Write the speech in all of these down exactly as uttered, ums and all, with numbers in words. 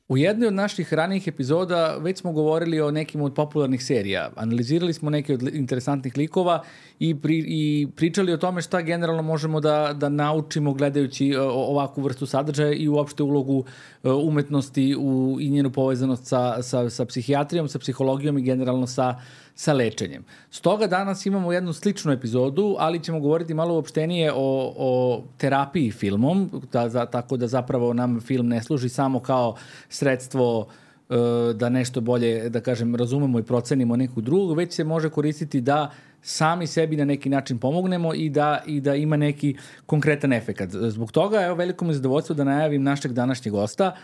U jednoj od naših ranijih epizoda već smo govorili o nekim od popularnih serija. Analizirali smo neke od interesantnih likova i, pri, i pričali o tome šta generalno možemo da, da naučimo gledajući ovakvu vrstu sadržaja i uopšte ulogu umetnosti u, i njenu povezanost sa, sa, sa psihijatrijom, sa psihologijom i generalno sa, sa lečenjem. Stoga danas imamo jednu sličnu epizodu, ali ćemo govoriti malo uopštenije o, o terapiji filmom, da, za, tako da zapravo nam film ne služi samo kao sredstvo e, da nešto bolje, da kažem, razumemo i procenimo nekog drugog, već se može koristiti da sami sebi na neki način pomognemo i da, i da ima neki konkretan efekat. Zbog toga, evo, veliko mi zadovoljstvo da najavim našeg današnjeg gosta.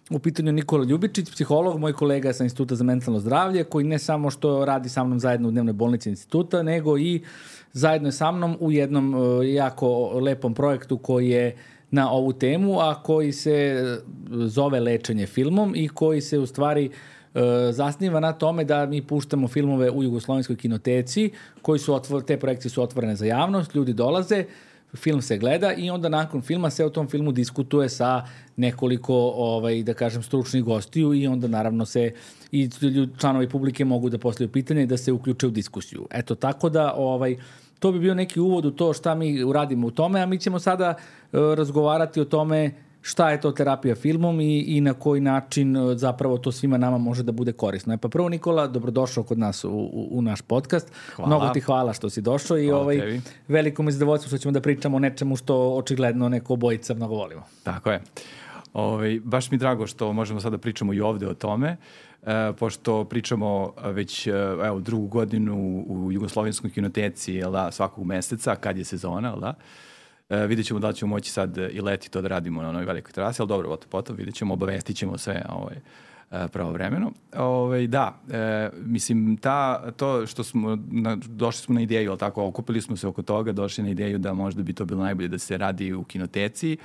U pitanju Nikola Ljubičić, psiholog, moj kolega sa Instituta za mentalno zdravlje, koji ne samo što radi sa mnom zajedno u dnevnoj bolnici instituta, nego i zajedno sa mnom u jednom jako lepom projektu koji je na ovu temu, a koji se zove Lečenje filmom i koji se u stvari zasniva na tome da mi puštamo filmove u Jugoslovenskoj kinoteci, koji su otvor, te projekcije su otvorene za javnost, ljudi dolaze, film se gleda i onda nakon filma se o tom filmu diskutuje sa nekoliko, ovaj, da kažem, stručnih gostiju i onda naravno se i članovi publike mogu da postavljaju pitanje i da se uključe u diskusiju. Eto, tako da ovaj, to bi bio neki uvod u to šta mi uradimo u tome, a mi ćemo sada uh, razgovarati o tome šta je to terapija filmom i, i na koji način zapravo to svima nama može da bude korisno. E pa prvo, Nikola, dobrodošao kod nas u, u, u naš podcast. Hvala. Mnogo ti hvala što si došao i ovaj, tebi. Veliko mi zadovoljstvo što ćemo da pričamo o nečemu što očigledno neko obojica mnogo volimo. Tako je. Ovaj, baš mi drago što možemo sada pričamo i ovde o tome, e, pošto pričamo već evo, drugu godinu u Jugoslovenskoj kinoteci, jel da, svakog meseca, kad je sezona, jel da? E, vidjet ćemo da li ćemo moći sad i leti to da radimo na onoj velikoj terasi, ali dobro, potom, potom vidjet ćemo, obavestit ćemo sve ovaj, pravovremeno. Ovaj, da, e, mislim, ta, to što smo, na, došli smo na ideju, ali tako, okupili smo se oko toga, došli na ideju da možda bi to bilo najbolje da se radi u kinoteci,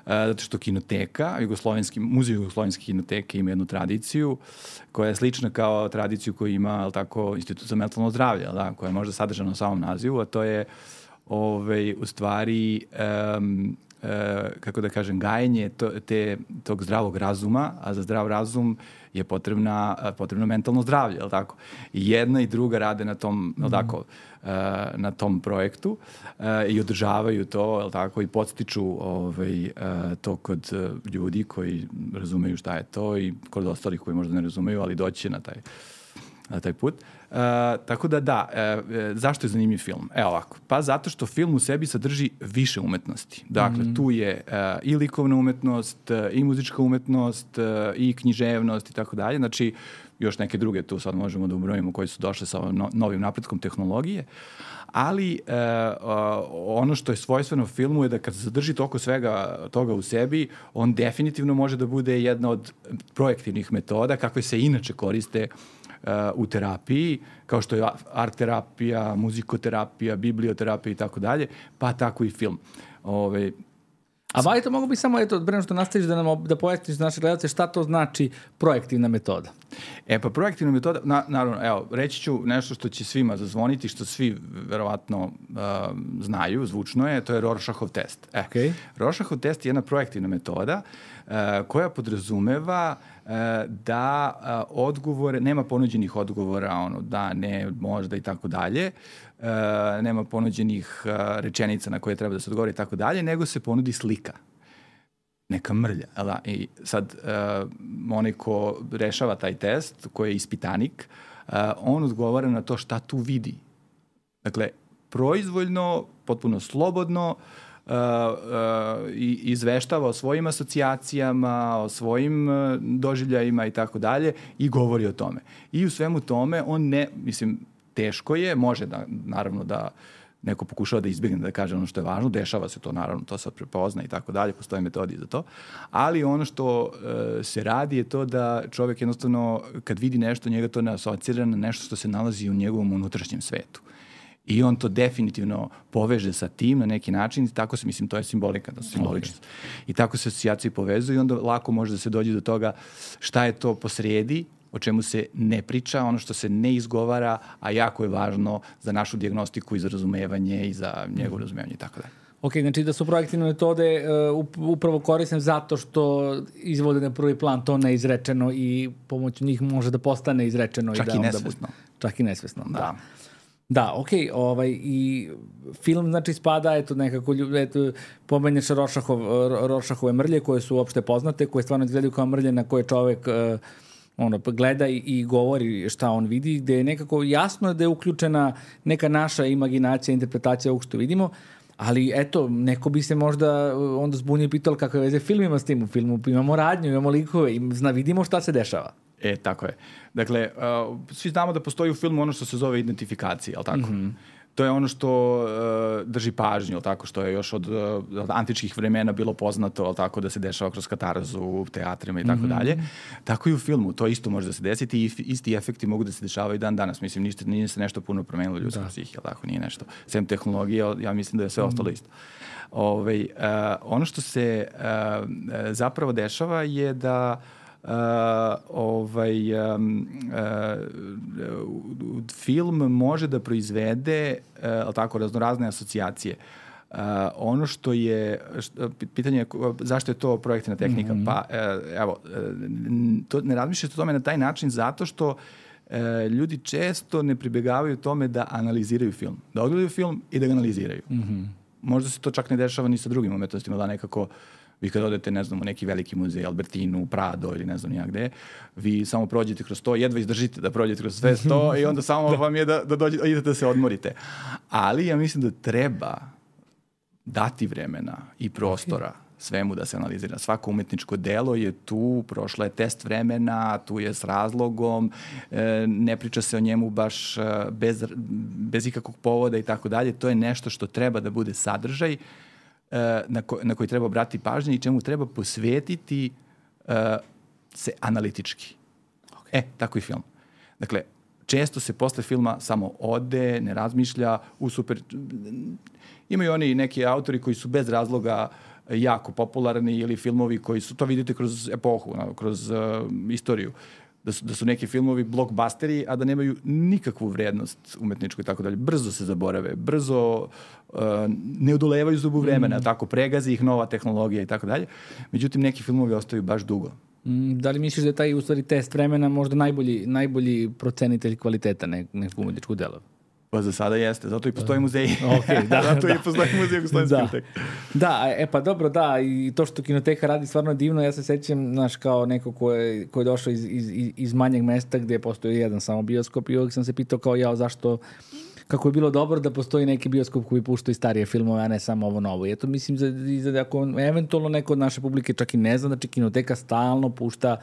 zato što kinoteka, Jugoslovenski, muzej Jugoslovenske kinoteke ima jednu tradiciju koja je slična kao tradiciju koju ima, tako, Institut za mentalno zdravlje, da, koja je možda sadržana u samom nazivu, a to je Ove, u stvari, um, uh, kako da kažem, gajenje to, te, tog zdravog razuma, a za zdrav razum je potrebna, potrebno mentalno zdravlje, je li tako? I jedna i druga rade na tom, je li tako, uh, na tom projektu uh, i održavaju to, je li tako, i podstiču ovaj, uh, to kod uh, ljudi koji razumeju šta je to i kod ostalih koji možda ne razumeju, ali doći na taj, na taj put. Uh, tako da da, uh, zašto je zanimljiv film? Evo ovako, pa zato što film u sebi sadrži više umetnosti. Dakle, mm. tu je uh, i likovna umetnost, uh, i muzička umetnost, uh, i književnost i tako dalje. Znači, još neke druge tu sad možemo da ubrojimo koji su došle sa no, novim napretkom tehnologije. Ali uh, uh, ono što je svojstveno filmu je da kad zadrži toliko svega toga u sebi, on definitivno može da bude jedna od projektivnih metoda kakve se inače koriste u terapiji, kao što je art terapija, muzikoterapija, biblioterapija i tako dalje, pa tako i film. Ove, A ba, to mogu bi samo, eto, breno što nastaviš da nam da pojasniš naše gledalce šta to znači projektivna metoda. E pa projektivna metoda, na, naravno, evo, reći ću nešto što će svima zazvoniti, što svi verovatno uh, znaju, zvučno je, to je Rorschachov test. E, okay. Rorschachov test je jedna projektivna metoda uh, koja podrazumeva uh, da uh, odgovore, nema ponuđenih odgovora, ono, da, ne, možda i tako dalje, Uh, nema ponuđenih uh, rečenica na koje treba da se odgovori i tako dalje, nego se ponudi slika. Neka mrlja. Da? I sad, uh, onaj ko rešava taj test, koji je ispitanik, uh, on odgovara na to šta tu vidi. Dakle, proizvoljno, potpuno slobodno, Uh, uh, i izveštava o svojim asocijacijama, o svojim uh, doživljajima i tako dalje i govori o tome. I u svemu tome on ne, mislim, teško je, može da, naravno da neko pokušava da izbjegne da kaže ono što je važno, dešava se to naravno, to se prepozna i tako dalje, postoje metodi za to, ali ono što e, se radi je to da čovjek jednostavno kad vidi nešto, njega to ne asocira na nešto što se nalazi u njegovom unutrašnjem svetu. I on to definitivno poveže sa tim na neki način i tako se, mislim, to je simbolika, to je simboličnost. Okay. I tako se asocijacije povezuju i onda lako može da se dođe do toga šta je to posredi, o čemu se ne priča, ono što se ne izgovara, a jako je važno za našu dijagnostiku i za razumevanje i za njegovo razumevanje i tako dalje. Ok, znači da su projektivne metode uh, upravo korisne zato što izvode na prvi plan to neizrečeno i pomoću njih može da postane izrečeno. Čak i, da i nesvesno. Čak i nesvesno, da. Da, da ok, ovaj, i film znači spada, eto nekako, eto, pomenješ Rošahov, Rošahove mrlje koje su uopšte poznate, koje stvarno izgledaju kao mrlje na koje čovek uh, ono, gleda i, i govori šta on vidi, gde je nekako jasno da je uključena neka naša imaginacija, interpretacija ovog što vidimo, ali eto, neko bi se možda onda zbunio i pitao kakve veze film ima s tim. U filmu imamo radnju, imamo likove i zna, vidimo šta se dešava. E, tako je. Dakle, uh, svi znamo da postoji u filmu ono što se zove identifikacija, ali tako? Mm-hmm. To je ono što uh, drži pažnju, tako, što je još od, uh, od antičkih vremena bilo poznato, ali tako, da se dešava kroz katarzu u teatrima i tako mm-hmm. dalje. Tako i u filmu, to isto može da se desiti i isti efekti mogu da se dešavaju dan danas. Mislim, ništa, nije se nešto puno promenilo ljudskog psihije, ali tako, nije nešto. Sem tehnologije, ja mislim da je sve mm-hmm. ostalo isto. Ove, uh, ono što se uh, zapravo dešava je da Uh, ovaj, um, uh, film može da proizvede uh, tako, raznorazne asocijacije. Uh, ono što je, što, pitanje je zašto je to projektivna tehnika? Mm-hmm. Pa uh, evo, uh, to, ne razmišljate o tome na taj način zato što uh, ljudi često ne pribegavaju tome da analiziraju film. Da odgledaju film i da ga analiziraju. Mm-hmm. Možda se to čak ne dešava ni sa drugim umetnostima, da nekako vi kad odete, ne znam, u neki veliki muzej, Albertinu, Prado ili ne znam nijak gde, vi samo prođete kroz to, jedva izdržite da prođete kroz sve sto i onda samo da. vam je da, da dođete, idete da se odmorite. Ali ja mislim da treba dati vremena i prostora okay. svemu da se analizira. Svako umetničko delo je tu, prošla je test vremena, tu je s razlogom, e, ne priča se o njemu baš bez, bez ikakvog povoda i tako dalje. To je nešto što treba da bude sadržaj Na, ko, na koji treba obratiti pažnje i čemu treba posvetiti uh, se analitički. Okay. E, tako i film. Dakle, često se posle filma samo ode, ne razmišlja, u super... Imaju oni neki autori koji su bez razloga jako popularni ili filmovi koji su, to vidite kroz epohu, kroz uh, istoriju. Da su, da su neki filmovi blockbusteri, a da nemaju nikakvu vrednost umetničku i tako dalje. Brzo se zaborave, brzo uh, ne odolevaju zubu vremena, mm. tako pregazi ih nova tehnologija i tako dalje. Međutim, neki filmovi ostaju baš dugo. Mm, da li misliš da je taj, u stvari, test vremena možda najbolji, najbolji procenitelj kvaliteta ne, nekog umetničkog dela? Pa za sada jeste, zato i postoji muzej. Okay, da, zato da. i postoji muzej Jugoslovenske kinoteke. Da, e pa dobro, da, i to što kinoteka radi stvarno divno, ja se sećam, znaš, kao neko ko je, ko je došao iz, iz, iz manjeg mesta gde postoji jedan samo bioskop i uvijek sam se pitao kao ja zašto, kako je bilo dobro da postoji neki bioskop koji pušta i starije filmove, a ne samo ovo novo. I eto mislim za, za ako eventualno neko od naše publike čak i ne zna, znači kinoteka stalno pušta,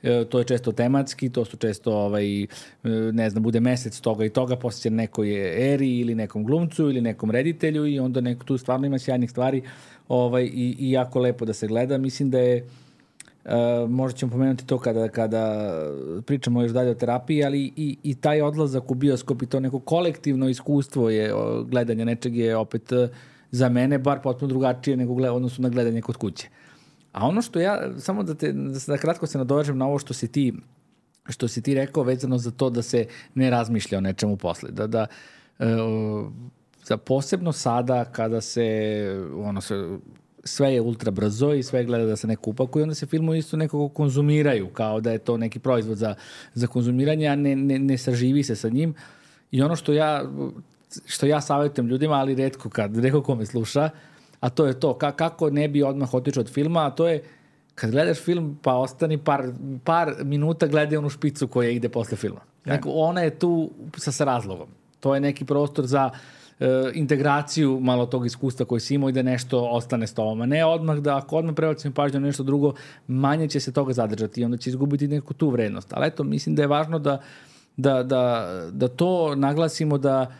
e, to je često tematski, to su često ovaj, e, ne znam, bude mesec toga i toga, posjeća nekoj eri ili nekom glumcu ili nekom reditelju i onda neko tu stvarno ima sjajnih stvari ovaj, i, i jako lepo da se gleda. Mislim da je Uh, možda ćemo pomenuti to kada, kada pričamo još dalje o terapiji, ali i, i taj odlazak u bioskop i to neko kolektivno iskustvo je gledanja nečeg je opet za mene bar potpuno drugačije nego gled, odnosno na gledanje kod kuće. A ono što ja, samo da te da kratko se nadovežem na ovo što si ti što si ti rekao vezano za to da se ne razmišlja o nečemu posle. Da, da uh, za posebno sada kada se ono se sve je ultra brzo i sve gleda da se neko upakuje, onda se filmovi isto nekako konzumiraju, kao da je to neki proizvod za, za konzumiranje, a ne, ne, ne saživi se sa njim. I ono što ja, što ja savjetujem ljudima, ali retko kad, retko ko me sluša, a to je to, ka, kako ne bi odmah otišao od filma, a to je kad gledaš film, pa ostani par, par minuta gledaj onu špicu koja ide posle filma. Neko, ona je tu sa, sa razlogom. To je neki prostor za integraciju malo tog iskustva koje si imao i da nešto ostane s tobom. A ne odmah da ako odmah prebacimo pažnju na nešto drugo, manje će se toga zadržati i onda će izgubiti neku tu vrednost. Ali eto, mislim da je važno da, da, da, da to naglasimo da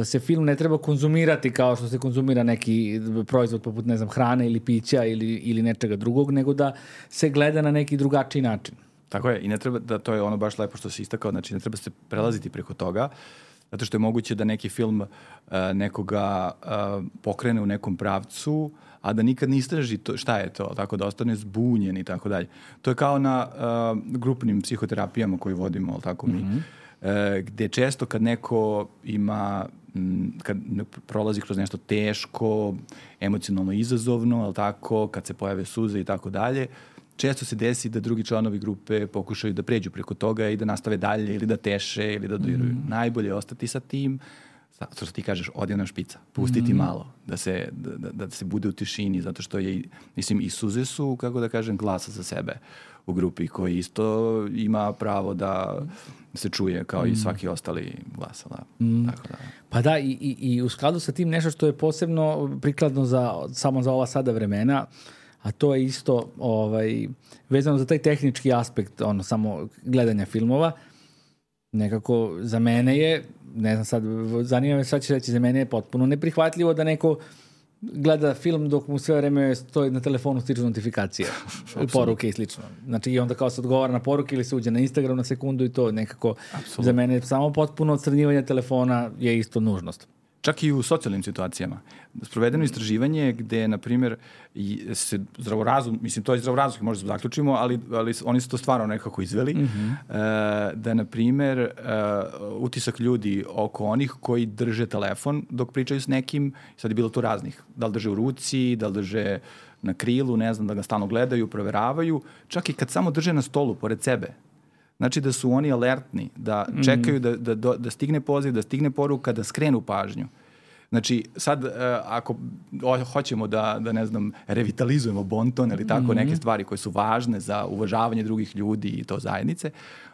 se film ne treba konzumirati kao što se konzumira neki proizvod poput, ne znam, hrane ili pića ili, ili nečega drugog, nego da se gleda na neki drugačiji način. Tako je, i ne treba da, to je ono baš lepo što si istakao, znači ne treba se prelaziti preko toga, zato što je moguće da neki film uh, nekoga uh, pokrene u nekom pravcu, a da nikad ne istraži to, šta je to, tako da ostane zbunjen i tako dalje. To je kao na uh, grupnim psihoterapijama koje vodimo, ali tako mi. Mm-hmm. e, gde često kad neko ima, m, kad prolazi kroz nešto teško, emocionalno izazovno, ali tako, kad se pojave suze i tako dalje, često se desi da drugi članovi grupe pokušaju da pređu preko toga i da nastave dalje ili da teše ili da dodiraju. Mm. Najbolje je ostati sa tim, zato što ti kažeš, odi ona špica, pustiti mm. malo, da se, da, da se bude u tišini, zato što je, mislim, i suze su, kako da kažem, glasa za sebe u grupi, koji isto ima pravo da se čuje kao mm. i svaki ostali glas. Da. Mm. Tako da. Pa da, i, i, i u skladu sa tim nešto što je posebno prikladno za, samo za ova sada vremena, a to je isto ovaj, vezano za taj tehnički aspekt, ono, samo gledanja filmova. Nekako za mene je, ne znam sad, zanima me šta ćeš reći, za mene je potpuno neprihvatljivo da neko gleda film dok mu sve vreme stoji na telefonu, stiču notifikacije, poruke i slično. Znači i onda kao se odgovara na poruke ili se uđe na Instagram na sekundu i to nekako Absolutno. Za mene samo potpuno odstranjivanje telefona je isto nužnost. Čak i u socijalnim situacijama. Sprovedeno istraživanje gde, na primjer, se zdravorazum, mislim, to je zdravorazumski, možda se zaključimo, ali, ali oni su to stvarno nekako izveli, mm-hmm. da, na primjer, utisak ljudi oko onih koji drže telefon dok pričaju s nekim, sad je bilo tu raznih, da li drže u ruci, da li drže na krilu, ne znam, da ga stalno gledaju, proveravaju, čak i kad samo drže na stolu, pored sebe. Znači da su oni alertni, da čekaju da, da, da stigne poziv, da stigne poruka, da skrenu pažnju. Znači, sad, ako hoćemo da, da ne znam, revitalizujemo bonton ili tako, mm-hmm. neke stvari koje su važne za uvažavanje drugih ljudi i to zajednice,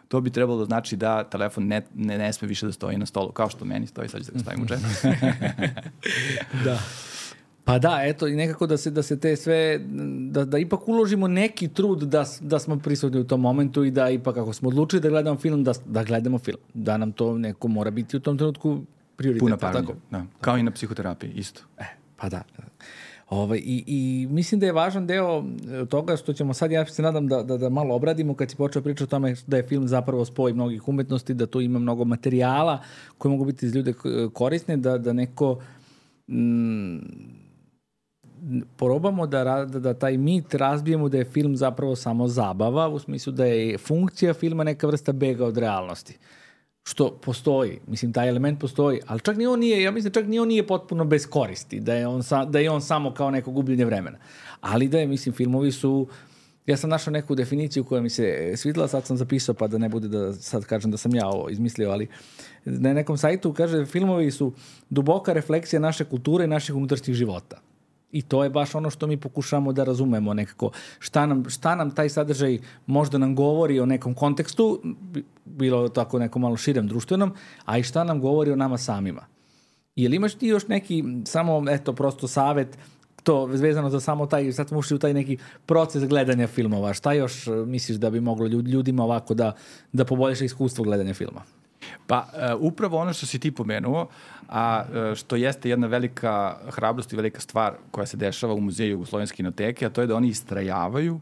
to bi trebalo da znači da telefon ne, ne, ne sme više da stoji na stolu, kao što meni stoji, sad ću da ga stavim u džep. Da. Pa da, eto, i nekako da se, da se te sve, da, da ipak uložimo neki trud da, da smo prisutni u tom momentu i da ipak ako smo odlučili da gledamo film, da, da gledamo film. Da nam to neko mora biti u tom trenutku prioritet. Puna pažnja, da. Kao i na psihoterapiji, isto. E, pa da. Ovaj, i, I mislim da je važan deo toga što ćemo sad, ja se nadam da, da, da malo obradimo kad si počeo pričati o tome da je film zapravo spoj mnogih umetnosti, da tu ima mnogo materijala koji mogu biti iz ljude korisne, da, da neko... Mm, probamo da, da, da taj mit razbijemo da je film zapravo samo zabava, u smislu da je funkcija filma neka vrsta bega od realnosti. Što postoji, mislim, taj element postoji, ali čak ni on nije, ja mislim, čak ni on nije potpuno bez koristi, da je on, sa, da je on samo kao neko gubljenje vremena. Ali da je, mislim, filmovi su, ja sam našao neku definiciju koja mi se svidela, sad sam zapisao, pa da ne bude da sad kažem da sam ja ovo izmislio, ali na nekom sajtu kaže, filmovi su duboka refleksija naše kulture i naših unutrašnjih života. I to je baš ono što mi pokušamo da razumemo nekako. Šta nam, šta nam taj sadržaj možda nam govori o nekom kontekstu, bilo tako nekom malo širem društvenom, a i šta nam govori o nama samima. Jel imaš ti još neki, samo, eto, prosto savet, to vezano za samo taj, sad smo ušli u taj neki proces gledanja filmova. Šta još misliš da bi moglo ljudima ovako da, da poboljša iskustvo gledanja filma? Pa, uh, upravo ono što si ti pomenuo, a uh, što jeste jedna velika hrabrost i velika stvar koja se dešava u Muzeju Jugoslovenske kinoteke, a to je da oni istrajavaju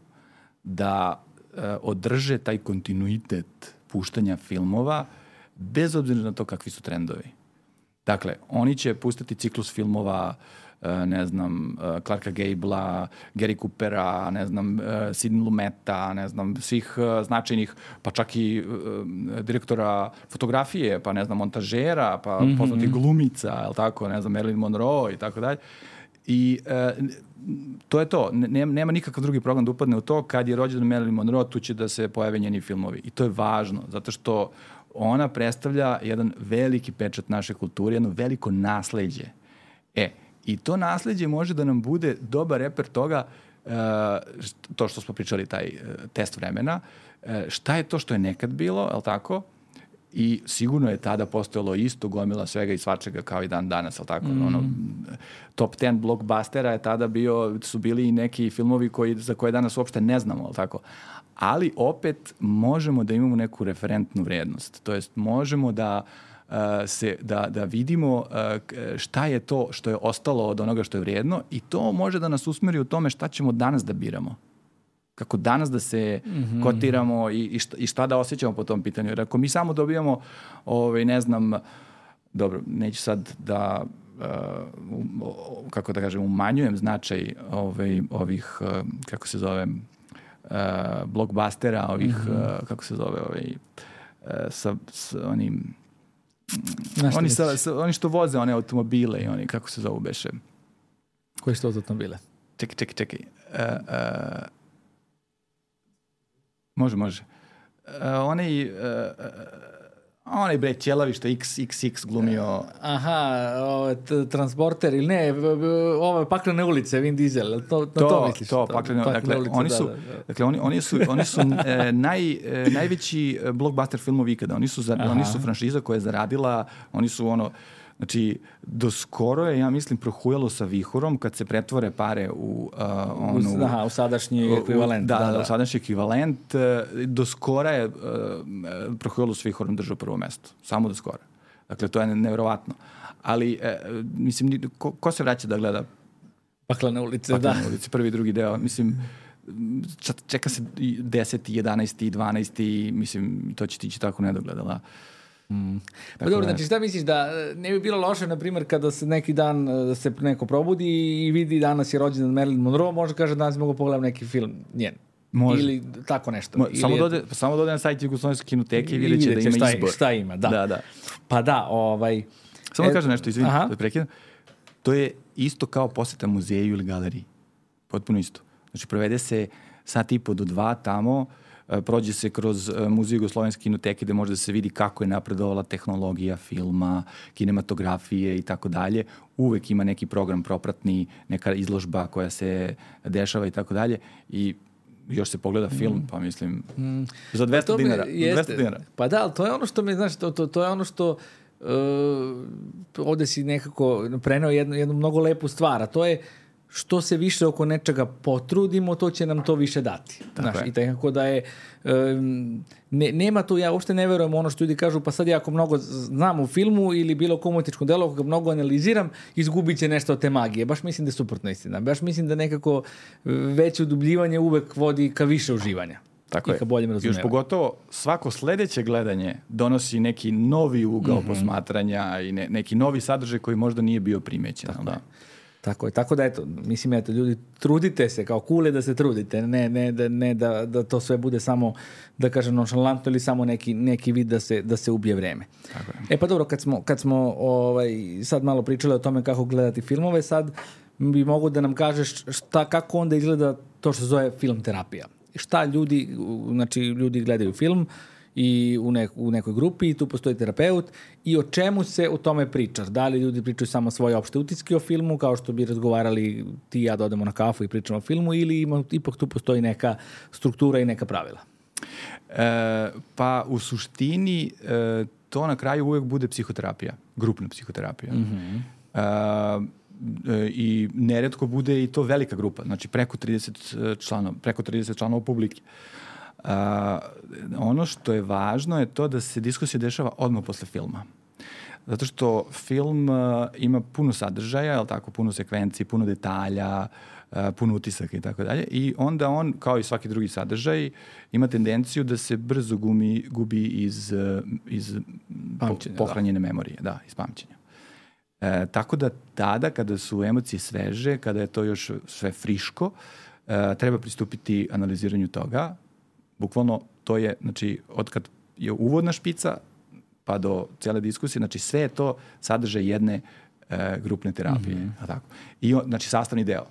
da uh, održe taj kontinuitet puštanja filmova bez obzira na to kakvi su trendovi. Dakle, oni će pustiti ciklus filmova ne znam, Clarka Gabla, Gary Coopera, ne znam, Sidney Lumeta, ne znam, svih značajnih, pa čak i direktora fotografije, pa ne znam, montažera, pa mm-hmm. poznatih glumica, je li tako, ne znam, Marilyn Monroe i tako dalje. I e, to je to. Nema, nema nikakav drugi program da upadne u to. Kad je rođen Marilyn Monroe, tu će da se pojave njeni filmovi. I to je važno, zato što ona predstavlja jedan veliki pečat naše kulture, jedno veliko nasleđe. E, i to nasleđe može da nam bude dobar reper toga, uh, to što smo pričali, taj uh, test vremena, uh, šta je to što je nekad bilo, je li tako? I sigurno je tada postojalo isto gomila svega i svačega kao i dan danas, je li tako? Mm. Ono, top ten blockbustera je tada bio, su bili i neki filmovi koji, za koje danas uopšte ne znamo, je li tako? Ali opet možemo da imamo neku referentnu vrednost. To jest možemo da Uh, se, da, da vidimo uh, šta je to što je ostalo od onoga što je vrijedno i to može da nas usmeri u tome šta ćemo danas da biramo. Kako danas da se mm-hmm. kotiramo i, i, šta, i šta da osjećamo po tom pitanju. Jer ako mi samo dobijamo, ovaj, ne znam, dobro, neću sad da, uh, kako da kažem, umanjujem značaj ovaj, ovih, uh, kako se zove, uh, blockbustera, ovih, mm-hmm. uh, kako se zove, ovaj, sa, sa onim... Znaš Oni, šta sa, misliš? sa, oni što voze one automobile i oni, kako se zovu beše? Koji su to automobile? Čekaj, čekaj, čekaj. Uh, uh, može, može. Uh, onaj, uh, uh, onaj bre ćelavi što X X X glumio. Aha, o, t- transporter ili ne, v- v- ove paklene ulice, Vin Diesel, jel to, na to, To, misliš? to, paklene, dakle, ulice, oni da, su, da, da. dakle, oni, oni su, oni su e, naj, e, najveći blockbuster filmovi ikada. Oni su, za, oni su franšiza koja je zaradila, oni su ono, znači, do skoro je, ja mislim, prohujalo sa vihorom kad se pretvore pare u uh, onu... U, aha, u sadašnji ekvivalent. Da, da, da, da. u sadašnji ekvivalent. e, Do skora je uh, prohujalo sa vihorom držao prvo mesto. Samo do skora. Dakle, to je nevjerovatno. Ali, e, mislim, ni- ko, ko se vraća da gleda Paklene ulice, Paklene da. ulice, prvi i drugi deo, mislim, čak- čeka se i deseti, jedanaesti, dvanaesti, mislim, to će tići tako nedogledala. Mm. Pa Tako dobro, da- znači šta misliš da e, ne bi bilo loše, na primjer, kada se neki dan e, da se neko probudi i vidi danas je rođendan Marilyn Monroe, može kaže danas mogu pogledam neki film njen. Može. Ili tako nešto. Mo, Ili samo, je- dode, samo dode na sajt Jugoslovenske kinoteke i i vidjet će da vidjet će ima šta, izbor. šta ima, da. Da, da. Pa da, ovaj... Samo da E, kažem nešto, izvini, aha. da prekidam. To je isto kao poseta muzeju ili galeriji. Potpuno isto. Znači, provede se sat i po do dva tamo, e, prođe se kroz e, muzej Jugoslovenske kinoteke gde može da se vidi kako je napredovala tehnologija filma, kinematografije i tako dalje. Uvek ima neki program propratni, neka izložba koja se dešava i tako dalje. I još se pogleda film, pa mislim, za dvesta To mi dinara. Za jeste. dvesta dinara. Pa da, ali to je ono što mi, znaš, to, to, to je ono što uh, ovde si nekako preneo jednu, jednu mnogo lepu stvar, a to je što se više oko nečega potrudimo, to će nam to više dati. Znaš, je. i tako da je um, ne, nema tu, ja uopšte ne verujem ono što ljudi kažu, pa sad ja ako mnogo znam u filmu ili bilo kom umetničkom delu, ako ga mnogo analiziram, izgubit će nešto od te magije. Baš mislim da je suprotno istina. Baš mislim da nekako veće udubljivanje uvek vodi ka više uživanja. Tako I je. ka boljem Još razumevanju. pogotovo svako sledeće gledanje donosi neki novi ugao Mhm. posmatranja i ne, neki novi sadržaj koji možda nije bio primećen. Tako da? je. Tako je, tako da eto, mislim, eto, ljudi, trudite se, kao kule da se trudite, ne, ne, da, ne da, da to sve bude samo, da kažem, nonšalantno ili samo neki, neki vid da se, da se ubije vreme. Tako je. E pa dobro, kad smo, kad smo ovaj, sad malo pričali o tome kako gledati filmove, sad bi mogo da nam kažeš šta, kako onda izgleda to što se zove film terapija. Šta ljudi, u- znači ljudi gledaju film i u, nek, u nekoj grupi i tu postoji terapeut i o čemu se u tome priča. Da li ljudi pričaju samo svoje opšte utiske o filmu, kao što bi razgovarali ti i ja da odemo na kafu i pričamo o filmu, ili ima, ipak tu postoji neka struktura i neka pravila? E, pa u suštini e, to na kraju uvek bude psihoterapija, grupna psihoterapija. Mhm. E, e, I neretko bude i to velika grupa, znači preko trideset članova, preko trideset članova publike. Uh, ono što je važno je to da se diskusija dešava odmah posle filma. Zato što film uh, ima puno sadržaja, jel tako, puno sekvenciji, puno detalja, uh, puno utisaka i tako dalje. I onda on, kao i svaki drugi sadržaj, ima tendenciju da se brzo gumi, gubi iz, uh, iz Pamćenja, po, pohranjene memorije, da, iz pamćenja. E, tako da tada, kada su emocije sveže, kada je to još sve friško, e, treba pristupiti analiziranju toga. Bukvalno to je, znači, od kad je uvodna špica pa do cijele diskusije, znači sve je to sadržaj jedne e, grupne terapije. Mhm. A tako. I on, znači sastavni deo.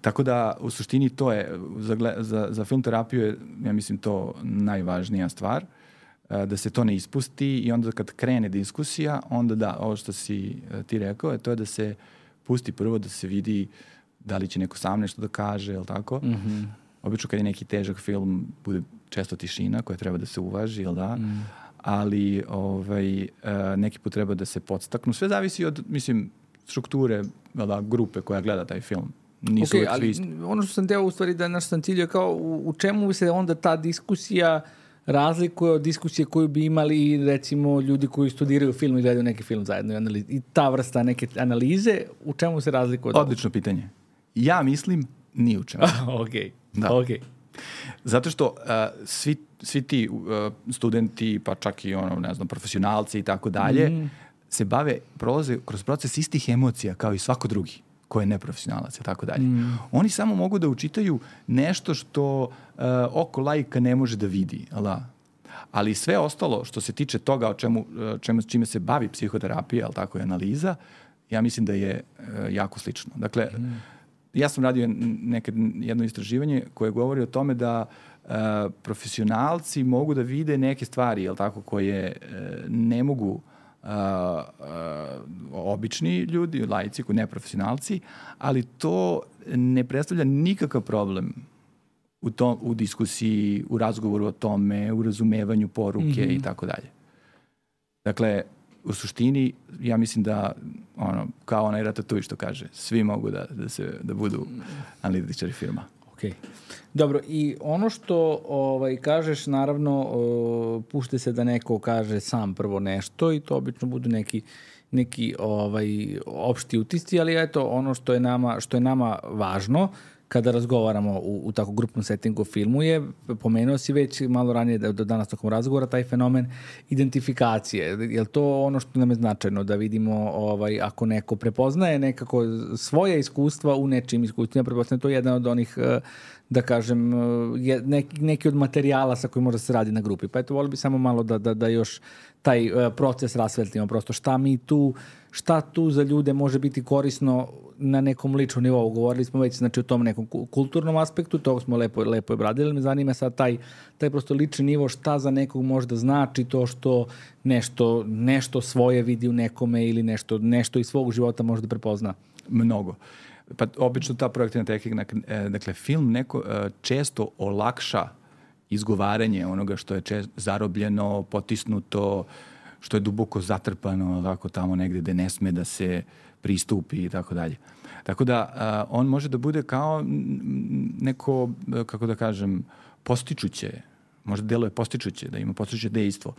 Tako da u suštini to je, za, gle- za, za film terapiju je, ja mislim, to najvažnija stvar, e, da se to ne ispusti i onda kad krene diskusija, onda da, ovo što si e, ti rekao, je to je da se pusti prvo da se vidi da li će neko sam nešto da kaže, je li tako? Mhm. Obično kad je neki težak film, bude često tišina koja treba da se uvaži, jel da? Mm. Ali ovaj, e, neki put treba da se podstaknu. Sve zavisi od, mislim, strukture, jel da, grupe koja gleda taj film. Nisu Ok, uvek svi ali isti. ono što sam teo u stvari da naš sam ciljio kao u, u čemu se onda ta diskusija razlikuje od diskusije koju bi imali recimo ljudi koji studiraju film i gledaju neki film zajedno i, analiz, i ta vrsta neke analize, u čemu se razlikuje od ovoga? Odlično pitanje. Ja mislim ni u čemu. Ok, Da. ok. Zato što uh, svi, svi ti uh, studenti, pa čak i ono, ne znam, profesionalci i tako dalje, Mhm. se bave, prolaze kroz proces istih emocija kao i svako drugi ko je neprofesionalac i tako dalje. Mhm. Oni samo mogu da učitaju nešto što uh, oko laika ne može da vidi. Ala? Ali sve ostalo što se tiče toga o čemu, čemu, čime se bavi psihoterapija, ali tako je analiza, ja mislim da je uh, jako slično. Dakle, mm. ja sam radio nekad jedno istraživanje koje govori o tome da uh, profesionalci mogu da vide neke stvari, jel tako, koje uh, ne mogu uh, uh, obični ljudi, laici, neprofesionalci, ali to ne predstavlja nikakav problem u, to, u diskusiji, u razgovoru o tome, u razumevanju poruke mm-hmm. i tako dalje. Dakle, u suštini, ja mislim da, ono, kao onaj Ratatouille što kaže, svi mogu da, da, se, da budu analitičari filma. Okay. Dobro, i ono što ovaj, kažeš, naravno, uh, pušte se da neko kaže sam prvo nešto i to obično budu neki, neki ovaj, opšti utisci, ali eto, ono što je nama, što je nama važno, kada razgovaramo u, u tako grupnom settingu o filmu je, pomenuo si već malo ranije da, do danas tokom razgovora, taj fenomen identifikacije. Je li to ono što nam je značajno, da vidimo ovaj, ako neko prepoznaje nekako svoje iskustva u nečim iskustvima, prepoznaje to je jedan od onih, da kažem, je, neki, neki od materijala sa kojim može se radi na grupi. Pa eto, volio bi samo malo da, da, da još taj proces rasvetlimo, prosto šta mi tu, šta tu za ljude može biti korisno na nekom ličnom nivou. Govorili smo već, znači, o tom nekom kulturnom aspektu, to smo lepo, lepo obradili, me zanima sad taj, taj prosto lični nivo, šta za nekog možda znači to što nešto, nešto svoje vidi u nekome ili nešto, nešto iz svog života može da prepozna. Mnogo. Pa obično ta projektivna tehnika, dakle, film neko često olakša izgovaranje onoga što je čest, zarobljeno, potisnuto, što je duboko zatrpano, tako tamo negde gde ne sme da se pristupi i tako dalje. Tako da uh, on može da bude kao neko, kako da kažem, postičuće, možda deluje postičuće, da ima postičuće dejstvo,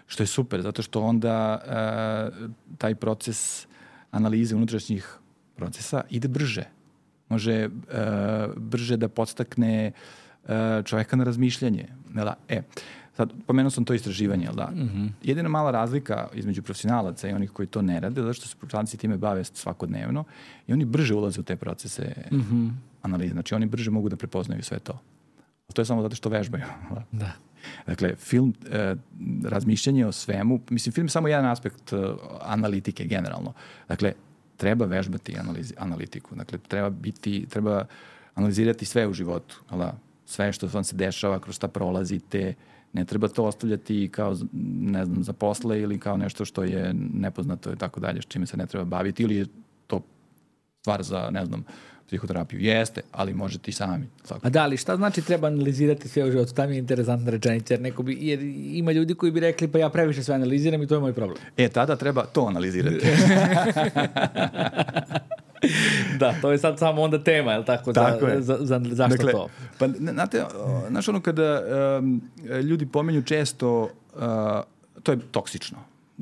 što je super, zato što onda uh, taj proces analize unutrašnjih procesa ide brže. Može uh, brže da podstakne uh, čoveka na razmišljanje. Da, e, sad, pomenuo sam to istraživanje, da? Mm-hmm. Jedina mala razlika između profesionalaca i onih koji to ne rade, zato što se profesionalci time bave svakodnevno i oni brže ulaze u te procese mm-hmm. analize. Znači, oni brže mogu da prepoznaju sve to. A to je samo zato što vežbaju. Da. Dakle, film, eh, razmišljanje o svemu, mislim, film je samo jedan aspekt eh, analitike generalno. Dakle, treba vežbati analizi, analitiku. Dakle, treba biti, treba analizirati sve u životu. Da? Sve što vam se dešava, kroz šta prolazite. Ne treba to ostavljati kao, ne znam, za posle ili kao nešto što je nepoznato i tako dalje, s čime se ne treba baviti, ili je to stvar za, ne znam, psihoterapiju. Jeste, ali možete i sami. A da, ali šta znači treba analizirati sve u životu? Tam je interesantna rečenica, jer, neko bi, jer ima ljudi koji bi rekli, pa ja previše sve analiziram i to je moj problem. E, tada treba to analizirati. Da, to je sad samo onda tema, je li tako? Tako za, je. Za, za, zašto dakle, to? Pa, znate, znaš ono kada um, ljudi pomenju često, uh, to je toksično.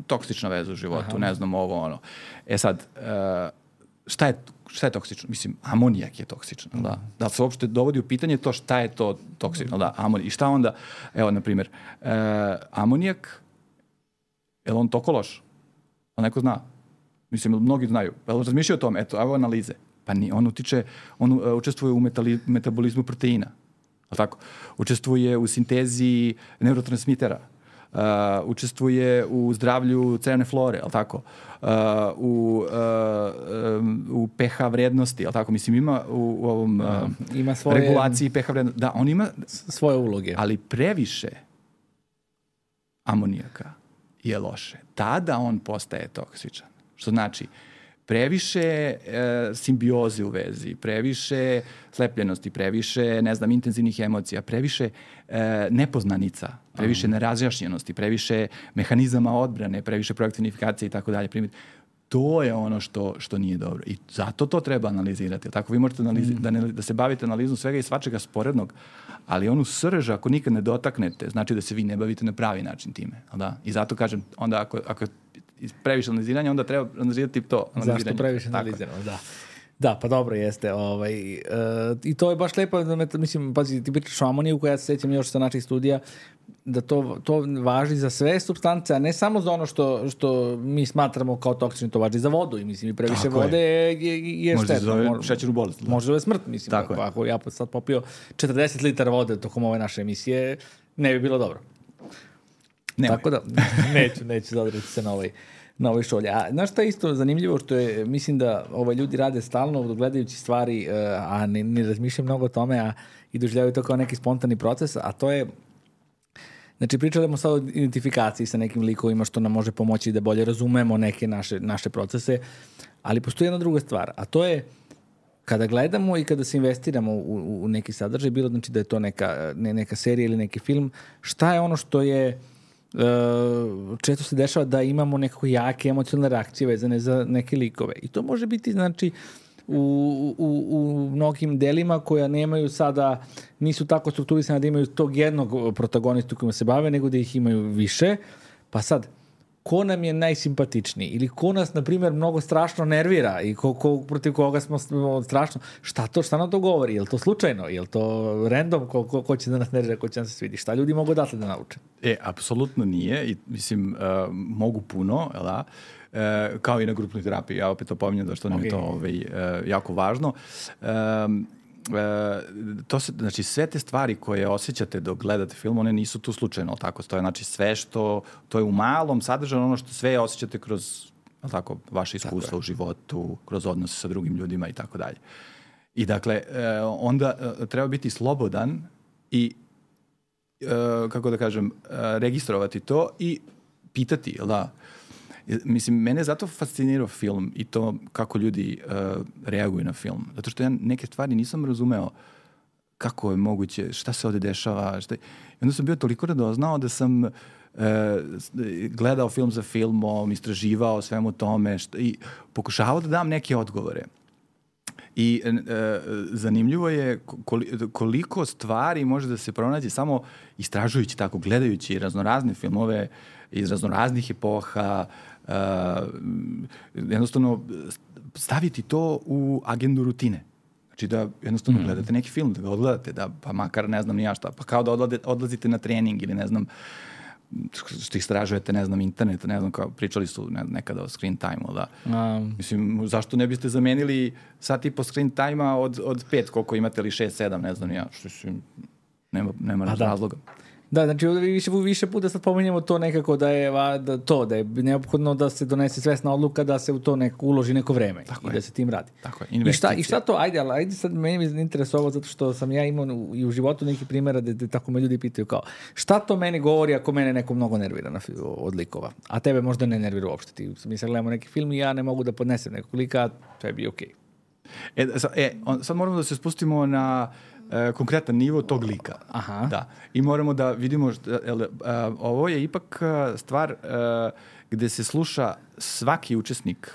Toksična veza u životu, aha, ne znam ovo, ono. E sad, uh, šta je šta je toksično? Mislim, amonijak je toksično, mm. da. Da se uopšte dovodi u pitanje to šta je to toksično, da, amonijak. I šta onda, evo, na primjer, uh, amonijak, je li on toliko loš? A neko zna? Mislim, mnogi znaju. Pa razmišljaju o tome, eto, evo analize. Pa ni, on utiče, on uh, učestvuje u metali, metabolizmu proteina. Ali tako? Učestvuje u sintezi neurotransmitera. Uh, učestvuje u zdravlju crevne flore, ali tako? Uh, u, uh, um, u pH vrednosti, ali tako? Mislim, ima u, u ovom uh, ima svoje, regulaciji pH vrednosti. Da, on ima svoje uloge. Ali previše amonijaka je loše. Tada on postaje toksičan. Što znači, previše e, simbioze u vezi, previše slepljenosti, previše, ne znam, intenzivnih emocija, previše e, nepoznanica, previše um. nerazjašnjenosti, previše mehanizama odbrane, previše projektivnifikacije i tako dalje. To je ono što, što nije dobro. I zato to treba analizirati. Tako vi možete analizi- mm. da, ne, da se bavite analizom svega i svačega sporednog, ali onu srž, ako nikad ne dotaknete, znači da se vi ne bavite na pravi način time. Da? I zato kažem, onda ako, ako previše analiziranja, onda treba analizirati to. Zašto previše analiziramo, da. Da, pa dobro jeste. Ovaj, uh, I to je baš lepo, mislim, pazi, ti pričaš o amoniju, koja ja se sjećam još sa naših studija, da to, to važi za sve supstance, a ne samo za ono što, što mi smatramo kao toksično, to važi za vodu. I mislim, i previše tako vode je, je, je možda štetno. Može zove šećernu bolest. Može zove smrt, mislim. Tako ako, ako ja sad popio četrdeset litara vode tokom ove naše emisije, ne bi bilo dobro. Nemoj. Tako da, neću, neću zadržati se na ovaj, na ovoj šolji. A znaš šta je isto zanimljivo, što je, mislim da ovaj, ljudi rade stalno gledajući stvari, a ne, ne razmišljaju mnogo o tome, a i doživljavaju to kao neki spontani proces, a to je, znači pričamo sad o identifikaciji sa nekim likovima što nam može pomoći da bolje razumemo neke naše, naše procese, ali postoji jedna druga stvar, a to je kada gledamo i kada se investiramo u, u neki sadržaj, bilo znači da je to neka, ne, neka serija ili neki film, šta je ono što je Uh, često se dešava da imamo nekako jake emocionalne reakcije vezane za neke likove. I to može biti, znači, u, u, u mnogim delima koja nemaju sada, nisu tako strukturisane da imaju tog jednog protagonistu kojima se bave, nego da ih imaju više. Pa sad, ko nam je najsimpatičniji ili ko nas, na primjer, mnogo strašno nervira i ko, ko, protiv koga smo strašno, šta to, šta nam to govori? Je li to slučajno? Je li to random? Ko, ko, ko će da nas nervira, ko će nam se svidi? Šta ljudi mogu odatle da nauče? E, apsolutno nije i mislim, uh, mogu puno, da? Uh, kao i na grupnoj terapiji, ja opet to pominjam da što nam okay. je to ovaj, uh, jako važno. Um, E, to se, znači sve te stvari koje osjećate dok gledate film, one nisu tu slučajno, tako, to je znači sve što, to je u malom sadržano ono što sve osjećate kroz, tako, vaše iskustva u životu, kroz odnose sa drugim ljudima i tako dalje. I dakle, e, onda e, treba biti slobodan i, e, kako da kažem, e, registrovati to i pitati, jel da? Mislim, mene zato fascinirao film i to kako ljudi uh, reaguju na film. Zato što ja neke stvari nisam razumeo kako je moguće, šta se ovde dešava. Šta... I onda sam bio toliko radoznao da sam uh, gledao film za filmom, istraživao svemu tome šta... i pokušavao da dam neke odgovore. I uh, zanimljivo je koliko stvari može da se pronađe samo istražujući tako, gledajući raznorazne filmove iz raznoraznih epoha, uh, jednostavno staviti to u agendu rutine. Znači da jednostavno mm. gledate neki film, da ga odgledate, da pa makar ne znam ni ja šta, pa kao da odlade, odlazite na trening ili ne znam što istražujete, ne znam, internet, ne znam, kao pričali su ne, nekada o screen time-u, da. Um. Mislim, zašto ne biste zamenili sat i po screen time-a od, od pet, koliko imate, ili šest, sedam, ne znam ni ja, što su, nema, nema razloga. Da, znači više, više puta sad pominjamo to nekako da je da, to, da je neophodno da se donese svesna odluka da se u to neko, uloži neko vreme tako i je. Da se tim radi. Tako je, I šta, I šta to, ajde, ali ajde sad meni je interesovalo zato što sam ja imao u, i u životu neki primjera da, da tako me ljudi pitaju kao šta to meni govori ako mene neko mnogo nervira na, od likova, a tebe možda ne nervira uopšte. Ti mi sad gledamo neki film i ja ne mogu da podnesem nekog lika, to je bi okej. Okay. E, e, on, sad moramo da se spustimo na E, konkretan nivo tog lika. Aha. Da. I moramo da vidimo šta, el, a, ovo je ipak stvar a, gde se sluša svaki učesnik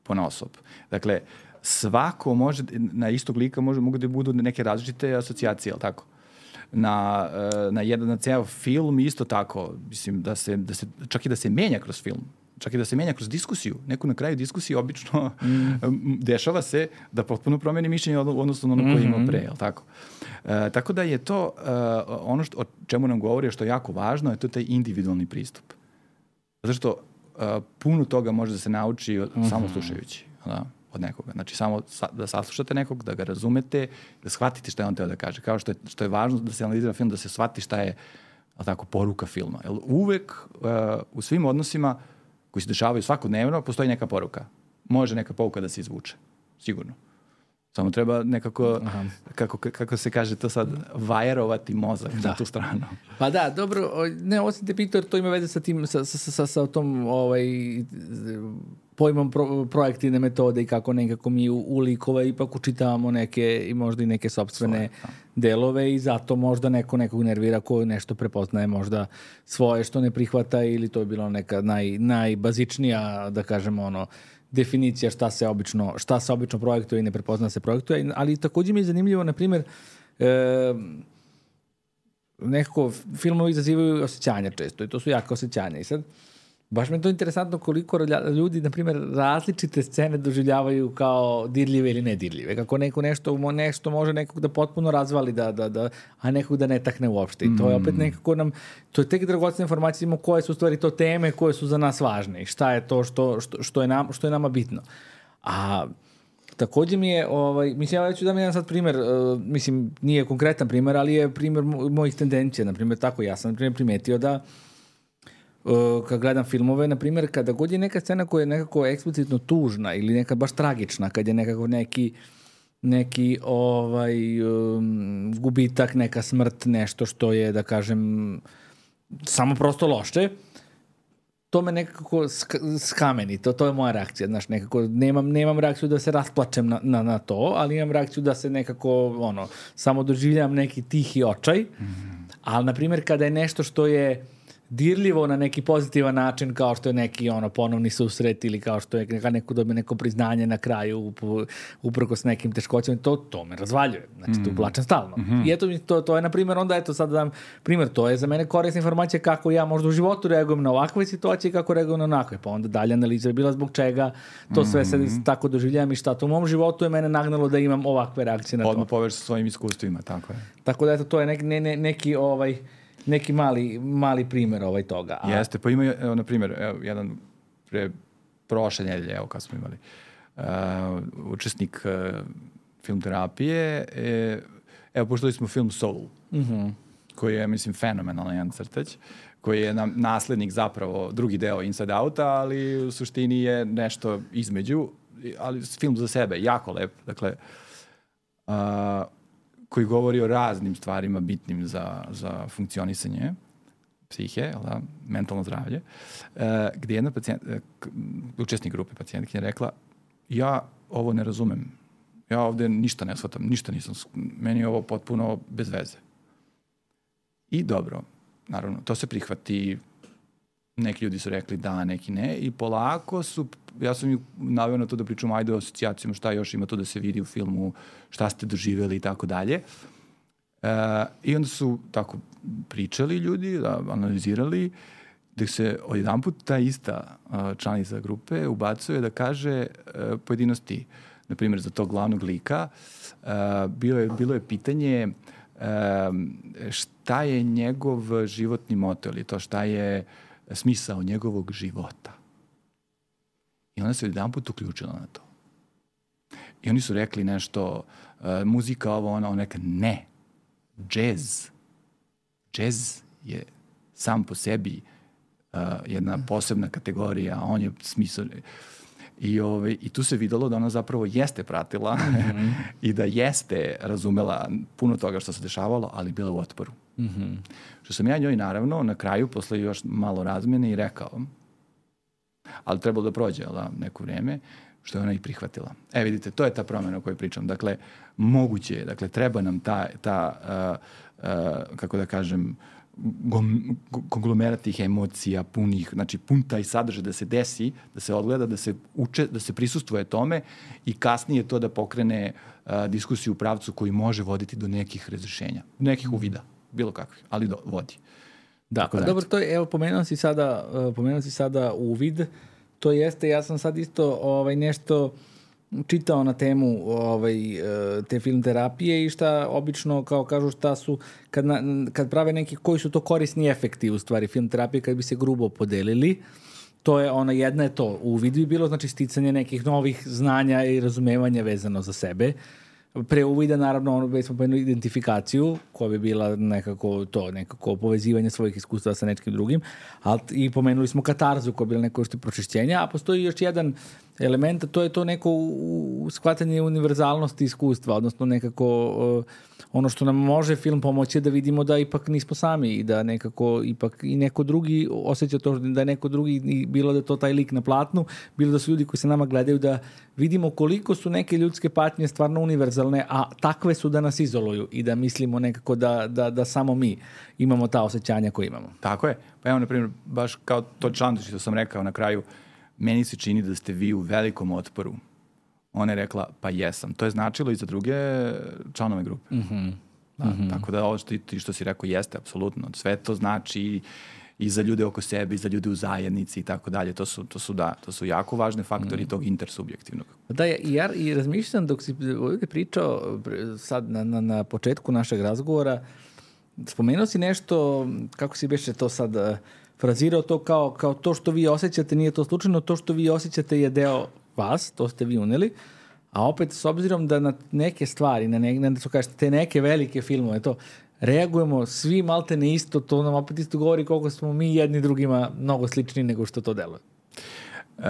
ponaosob. Dakle, svako može, na istog lika može, mogu da budu neke različite asocijacije, ali tako? Na, na jedan, na ceo film isto tako, mislim, da se, da se, čak i da se menja kroz film. Čak i da se menja kroz diskusiju. Neko na kraju diskusije obično mm. dešava se da potpuno promeni mišljenje odnosno ono koje ima pre, jel tako? E, tako da je to uh, ono što, o čemu nam govori, što je jako važno, je to taj individualni pristup. Zato što uh, puno toga može da se nauči od, mm-hmm. samo slušajući, da, od nekoga. Znači samo sa, da saslušate nekog, da ga razumete, da shvatite šta je on teo da kaže. Kao što je, što je važno da se analizira film, da se shvati šta je, tako, poruka filma. Jer uvek uh, u svim odnosima koji se dešavaju svakodnevno, postoji neka poruka. Može neka pouka da se izvuče. Sigurno. Samo treba nekako, kako, kako se kaže to sad, vajerovati mozak da. Na tu stranu. Pa da, dobro, ne, osim te pitao, to ima veze sa tim, sa, sa, sa, sa tom ovaj, pojmom pro, projektivne metode i kako nekako mi u, u likove ipak učitavamo neke i možda i neke sopstvene svoje, delove i zato možda neko nekog nervira ko nešto prepoznaje možda svoje što ne prihvata ili to je bilo neka naj, najbazičnija, da kažemo, ono, definicija šta se obično, šta se obično projektuje i ne prepozna se projektuje, ali također mi je zanimljivo, na primjer, e, nekako filmovi izazivaju osjećanja često i to su jaka osjećanja i sad baš mi je to interesantno koliko ljudi, na primjer, različite scene doživljavaju kao dirljive ili nedirljive. Kako neko nešto, nešto može nekog da potpuno razvali, da, da, da, a nekog da ne takne uopšte. I to je opet nekako nam, to je tek dragocena informacija, imamo koje su u stvari to teme koje su za nas važne i šta je to što, što, što, je, nam, što je nama bitno. A također mi je, ovaj, mislim, ja ću da mi jedan sad primjer, uh, mislim, nije konkretan primjer, ali je primjer mojih tendencija. Na primjer, tako, ja sam na primjer primetio da kad gledam filmove, na primjer, kada god je neka scena koja je nekako eksplicitno tužna ili neka baš tragična, kad je nekako neki neki ovaj um, gubitak, neka smrt, nešto što je, da kažem, samo prosto loše, to me nekako sk- skameni, to, to je moja reakcija, znaš, nekako nemam, nemam reakciju da se rasplačem na, na, na to, ali imam reakciju da se nekako, ono, samo doživljam neki tihi očaj, mm-hmm. ali, na primjer, kada je nešto što je dirljivo na neki pozitivan način, kao što je neki ono ponovni susret ili kao što je neka neko dobije neko priznanje na kraju uprko s nekim teškoćama, to, to me razvaljuje. Znači, mm-hmm. tu plačem stalno. Mm-hmm. I eto, to, to je, na primjer, onda, eto, sad dam primjer, to je za mene korisna informacija kako ja možda u životu reagujem na ovakve situacije i kako reagujem na onakve. Pa onda dalje analiza je bila zbog čega to sve mm-hmm. sad tako doživljavam i šta to u mom životu je mene nagnalo da imam ovakve reakcije na to. Odmah povež sa svojim iskustvima, tako je. Tako da, eto, to je neki, ne, ne, neki ovaj neki mali, mali primjer ovaj toga. A... Jeste, pa ima, evo, na primjer, evo, jedan pre prošle nedelje, evo, kad smo imali, uh, učesnik uh, film terapije, e, evo, poštali smo film Soul, mm-hmm. koji je, mislim, fenomenalan jedan crtać, koji je nam naslednik zapravo, drugi deo Inside Outa, ali u suštini je nešto između, ali film za sebe, jako lep, dakle, uh, koji govori o raznim stvarima bitnim za, za funkcionisanje psihe, da, mentalno zdravlje, uh, gdje jedna pacijent, uh, učesnik grupe pacijentkinja rekla, ja ovo ne razumem, ja ovdje ništa ne shvatam, ništa nisam, meni je ovo potpuno bez veze. I dobro, naravno, to se prihvati, neki ljudi su rekli da, neki ne, i polako su, ja sam ju naveo na to da pričam, ajde o asocijacijama, šta još ima to da se vidi u filmu, šta ste doživjeli i tako dalje. I onda su tako pričali ljudi, da, analizirali, da se odjedanput ta ista članica grupe ubacuje da kaže pojedinosti, na primjer, za tog glavnog lika, bilo je, bilo je pitanje šta je njegov životni moto, ili to šta je smisao njegovog života. I ona se jedan put uključila na to. I oni su rekli nešto, uh, muzika ovo, ona, ona neka, ne. Džez. Džez je sam po sebi uh, jedna posebna kategorija, on je smisao. I, ove, I tu se videlo da ona zapravo jeste pratila mm-hmm. i da jeste razumela puno toga što se dešavalo, ali bila u otporu. Mm-hmm. Što sam ja njoj naravno na kraju, posle još malo razmene, i rekao, ali trebalo da prođe da, neko vreme, što je ona i prihvatila. E, vidite, to je ta promjena o kojoj pričam. Dakle, moguće je, dakle, treba nam ta, ta uh, uh, kako da kažem, konglomerat tih emocija punih, znači pun taj sadržaj da se desi, da se odgleda, da se uče, da se prisustvuje tome i kasnije to da pokrene uh, diskusiju u pravcu koji može voditi do nekih razrešenja, nekih uvida, bilo kakvih, ali do, vodi. Da, pa dobro, to je, evo, pomenuo si sada, uh, pomenuo si sada uvid, to jeste, ja sam sad isto ovaj, nešto čitao na temu ovaj, te film terapije i šta obično, kao kažu, šta su, kad, na, kad prave neki, koji su to korisni efekti u stvari film terapije, kad bi se grubo podelili, to je ona, jedna je to, uvid bi bilo, znači sticanje nekih novih znanja i razumevanja vezano za sebe. Pre uvida, naravno, ono, već smo pomenuli identifikaciju, koja bi bila nekako to, nekako povezivanje svojih iskustva sa nečkim drugim, ali i pomenuli smo katarzu, koja je bila neko što pročišćenja, a postoji još jedan element, to je to neko u, u shvatanje univerzalnosti iskustva, odnosno nekako uh, ono što nam može film pomoći da vidimo da ipak nismo sami i da nekako ipak i neko drugi osjeća to da je neko drugi, bilo da je to taj lik na platnu, bilo da su ljudi koji se nama gledaju, da vidimo koliko su neke ljudske patnje stvarno univerzalne, a takve su da nas izoluju i da mislimo nekako da, da, da samo mi imamo ta osjećanja koje imamo. Tako je. Pa evo, na primjer, baš kao to članto što sam rekao na kraju, meni se čini da ste vi u velikom otporu. Ona je rekla, pa jesam. To je značilo i za druge članove grupe. Mm-hmm. Da, mm-hmm. Tako da ovo što, ti što si rekao jeste, apsolutno. Sve to znači i za ljude oko sebe, i za ljude u zajednici i tako dalje. To su, to su, da, to su jako važne faktori mm. tog intersubjektivnog. Da, i ja i razmišljam dok si ovdje pričao sad na, na, na početku našeg razgovora, spomenuo si nešto, kako si beše to sad frazirao, to kao, kao to što vi osjećate, nije to slučajno, to što vi osjećate je deo vas, to ste vi uneli, a opet s obzirom da na neke stvari, na, ne, na što kažete, te neke velike filmove, to, reagujemo svi malte ne isto, to nam opet isto govori koliko smo mi jedni drugima mnogo slični nego što to deluje. Uh,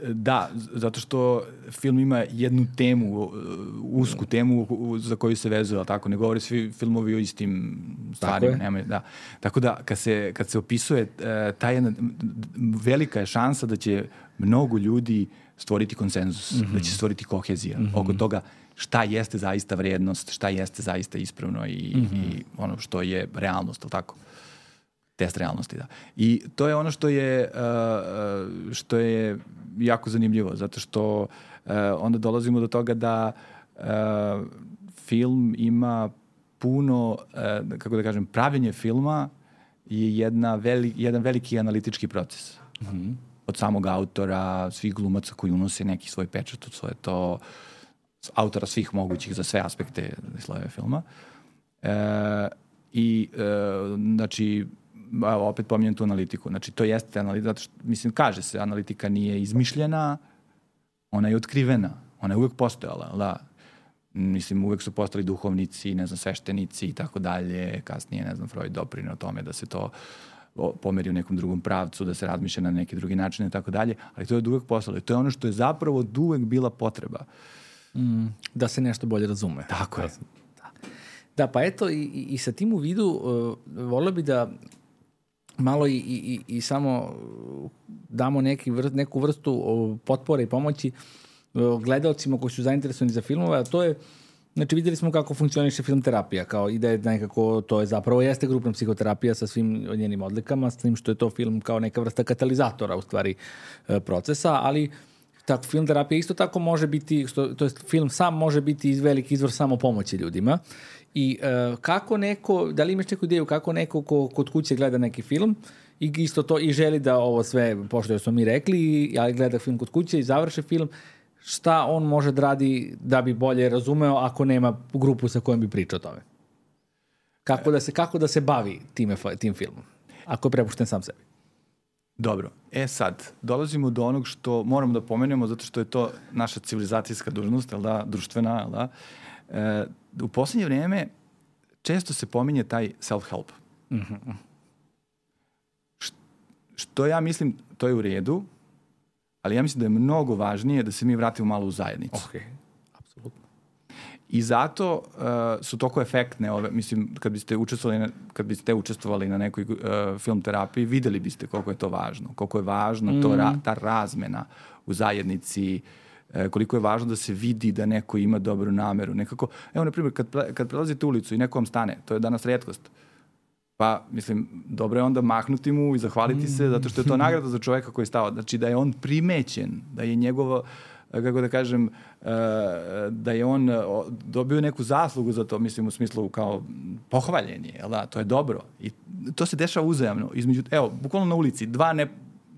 da, zato što film ima jednu temu, usku temu za koju se vezuje, tako ne govori svi filmovi o istim stvarima. Nema, da. Tako da kad se, kad se opisuje uh, ta jedna velika je šansa da će mnogo ljudi stvoriti konsenzus, mm-hmm. da će stvoriti kohezija mm-hmm. oko toga šta jeste zaista vrednost, šta jeste zaista ispravno i, mm-hmm. i ono što je realnost, ali tako? Test realnosti, da. I to je ono što je, uh, što je jako zanimljivo, zato što uh, onda dolazimo do toga da uh, film ima puno, uh, kako da kažem, pravljenje filma je jedna veli, jedan veliki analitički proces. Mm-hmm. Od samog autora, svih glumaca koji unose neki svoj pečat od svoje to, autora svih mogućih za sve aspekte slojeve filma. Uh, I, uh, znači, evo, opet pominjem tu analitiku. Znači, to jeste analitika, zato što, mislim, kaže se, analitika nije izmišljena, ona je otkrivena, ona je uvek postojala, da. Mislim, uvek su postali duhovnici, ne znam, sveštenici i tako dalje, kasnije, ne znam, Freud doprineo tome da se to pomeri u nekom drugom pravcu, da se razmišlja na neki drugi način i tako dalje, ali to je uvek postojalo i to je ono što je zapravo od uvek bila potreba. Mm, da se nešto bolje razume. Tako je. Da, da pa eto, i, i sa tim u vidu uh, volio bi da malo i, i, i samo damo neki vrst, neku vrstu potpore i pomoći gledalcima koji su zainteresovani za filmove, a to je, znači videli smo kako funkcioniše film terapija, kao ideja nekako, to je zapravo jeste grupna psihoterapija sa svim njenim odlikama, s tim što je to film kao neka vrsta katalizatora u stvari procesa, ali tako, film terapija isto tako može biti, to jest film sam može biti iz veliki izvor samo pomoći ljudima. I uh, kako neko, da li imaš neku ideju kako neko ko kod kuće gleda neki film i isto to i želi da ovo sve, pošto smo mi rekli, ali gleda film kod kuće i završi film, šta on može da radi da bi bolje razumeo ako nema grupu sa kojom bi pričao o tome? Kako da se, kako da se bavi time, tim filmom? Ako je prepušten sam sebi. Dobro. E sad, dolazimo do onog što moramo da pomenemo, zato što je to naša civilizacijska dužnost, jel da, društvena, jel da? E, u posljednje vrijeme često se pominje taj self-help. Mm-hmm. Š, što ja mislim, to je u redu, ali ja mislim da je mnogo važnije da se mi vratimo malo u zajednicu. Ok, apsolutno. I zato uh, su toliko efektne ove, mislim, kad biste učestvovali na, kad biste učestvovali na nekoj uh, film terapiji, videli biste koliko je to važno. Koliko je važno mm. to, ra, ta razmena u zajednici, uh, koliko je važno da se vidi da neko ima dobru nameru. Nekako, evo, na primjer, kad, kad prelazite ulicu i neko vam stane, to je danas retkost, pa, mislim, dobro je onda mahnuti mu i zahvaliti mm. se, zato što je to nagrada za čoveka koji je stao. Znači, da je on primećen, da je njegovo, kako da kažem, da je on dobio neku zaslugu za to, mislim, u smislu kao pohvaljen je, jel da? To je dobro. I to se dešava uzajamno. Između, evo, bukvalno na ulici, dva ne,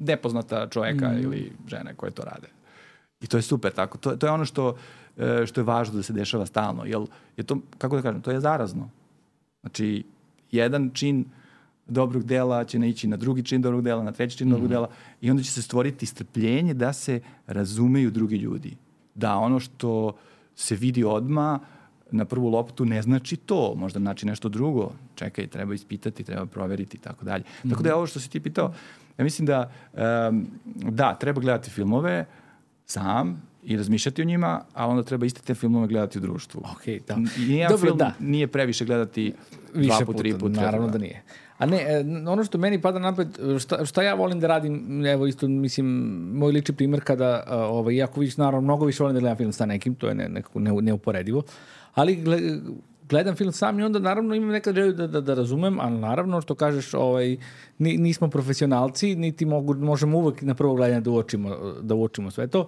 nepoznata čoveka mm. ili žene koje to rade. I to je super tako. To, to je ono što, što je važno da se dešava stalno. Jel, je to, kako da kažem, to je zarazno. Znači, jedan čin dobrog dela će naići na drugi čin dobrog dela, na treći čin mm-hmm. dobrog dela i onda će se stvoriti strpljenje da se razumeju drugi ljudi. Da ono što se vidi odmah na prvu loptu ne znači to, možda znači nešto drugo. Čekaj, treba ispitati, treba proveriti i tako dalje. Mm-hmm. Tako da je ovo što si ti pitao, ja mislim da um, da, treba gledati filmove sam i razmišljati o njima, a onda treba iste te filmove gledati u društvu. Okay, da. Nije Dobro, film da. Nije previše gledati više dva put, tri put. Naravno da nije. A ne, ono što meni pada napred, šta, šta ja volim da radim, evo isto, mislim, moj lični primjer kada, ovaj, jako više, naravno, mnogo više volim da gledam film sa nekim, to je ne, nekako ne, neuporedivo, ali gledam film sam i onda naravno imam nekad želju da, da, da razumem, ali naravno što kažeš, ovaj, nismo profesionalci, niti mogu, možemo uvek na prvo gledanje da uočimo, da uočimo sve to.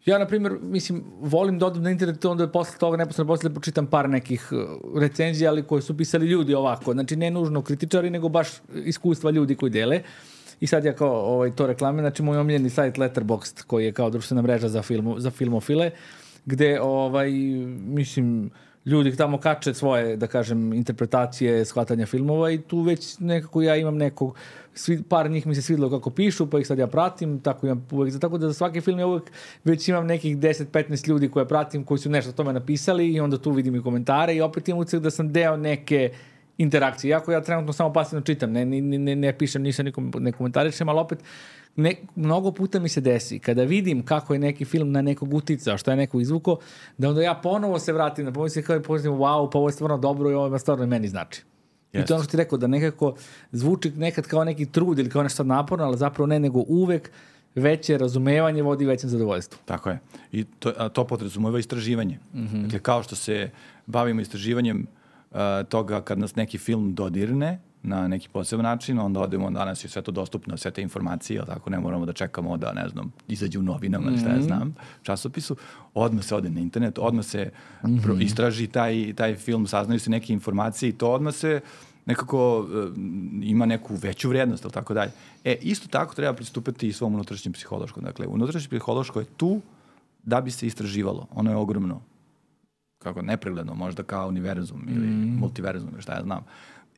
Ja, na primjer, mislim, volim da odem na internet, onda posle toga, neposledno posle da pročitam par nekih recenzija, ali koje su pisali ljudi ovako. Znači, ne nužno kritičari, nego baš iskustva ljudi koji dele. I sad ja kao ovaj, to reklame, znači moj omiljeni sajt Letterboxd, koji je kao društvena mreža za, filmu, za filmofile, gde, ovaj, mislim, ljudi tamo kače svoje, da kažem, interpretacije, shvatanja filmova i tu već nekako ja imam nekog, svi, par njih mi se svidilo kako pišu, pa ih sad ja pratim, tako imam uvek, tako da za svaki film ja uvek već imam nekih deset do petnaest ljudi koje pratim, koji su nešto o tome napisali i onda tu vidim i komentare i opet imam utisak da sam deo neke interakcije. Iako ja trenutno samo pasivno čitam, ne, ne, ne, ne pišem ništa, nikom, ne komentarišem, ali opet ne, mnogo puta mi se desi, kada vidim kako je neki film na nekog uticao, što je neko izvuko, da onda ja ponovo se vratim na pomislim kao i pomislim, wow, pa ovo je stvarno dobro i ovo je stvarno meni znači. Yes. I to je ono što ti rekao, da nekako zvuči nekad kao neki trud ili kao nešto naporno, ali zapravo ne, nego uvek veće razumevanje vodi većem zadovoljstvu. Tako je. I to, a to podrazumeva istraživanje. Mm-hmm. Dakle, kao što se bavimo istraživanjem uh, toga kad nas neki film dodirne na neki poseban način, onda odemo, danas je sve to dostupno, sve te informacije, ali tako ne moramo da čekamo da, ne znam, izađe u novinama, mm-hmm. šta ja znam, časopisu, odmah se ode na internet, odmah se mm-hmm. pro, istraži taj, taj film, saznaju se neke informacije i to odmah se nekako uh, ima neku veću vrijednost, ali tako dalje. E, isto tako treba pristupiti i svom unutrašnjem psihološkom. Dakle, unutrašnje psihološko je tu da bi se istraživalo. Ono je ogromno, kako nepregledno, možda kao univerzum ili mm. multiverzum, ili šta ja znam.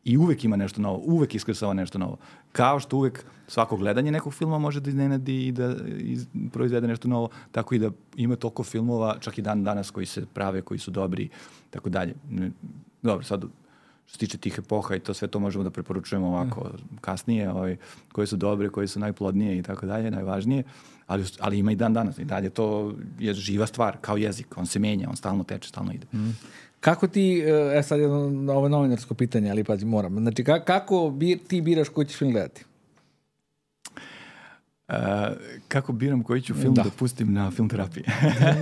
I uvek ima nešto novo, uvek iskrsava nešto novo. Kao što uvek svako gledanje nekog filma može da iznenadi i da iz, proizvede nešto novo, tako i da ima toliko filmova, čak i dan danas koji se prave, koji su dobri, tako dalje. Dobro, sad što se tiče tih epoha i to sve to možemo da preporučujemo ovako mm. kasnije, ovaj, koje su dobre, koje su najplodnije i tako dalje, najvažnije, ali, ali ima i dan danas. I dalje to je živa stvar, kao jezik, on se menja, on stalno teče, stalno ide. Mm. Kako ti, e sad jedno ovo novinarsko pitanje, ali pazi, moram. Znači, kako bir, ti biraš koji ćeš film gledati? Uh, kako biram koji ću film da, da pustim na film terapiji?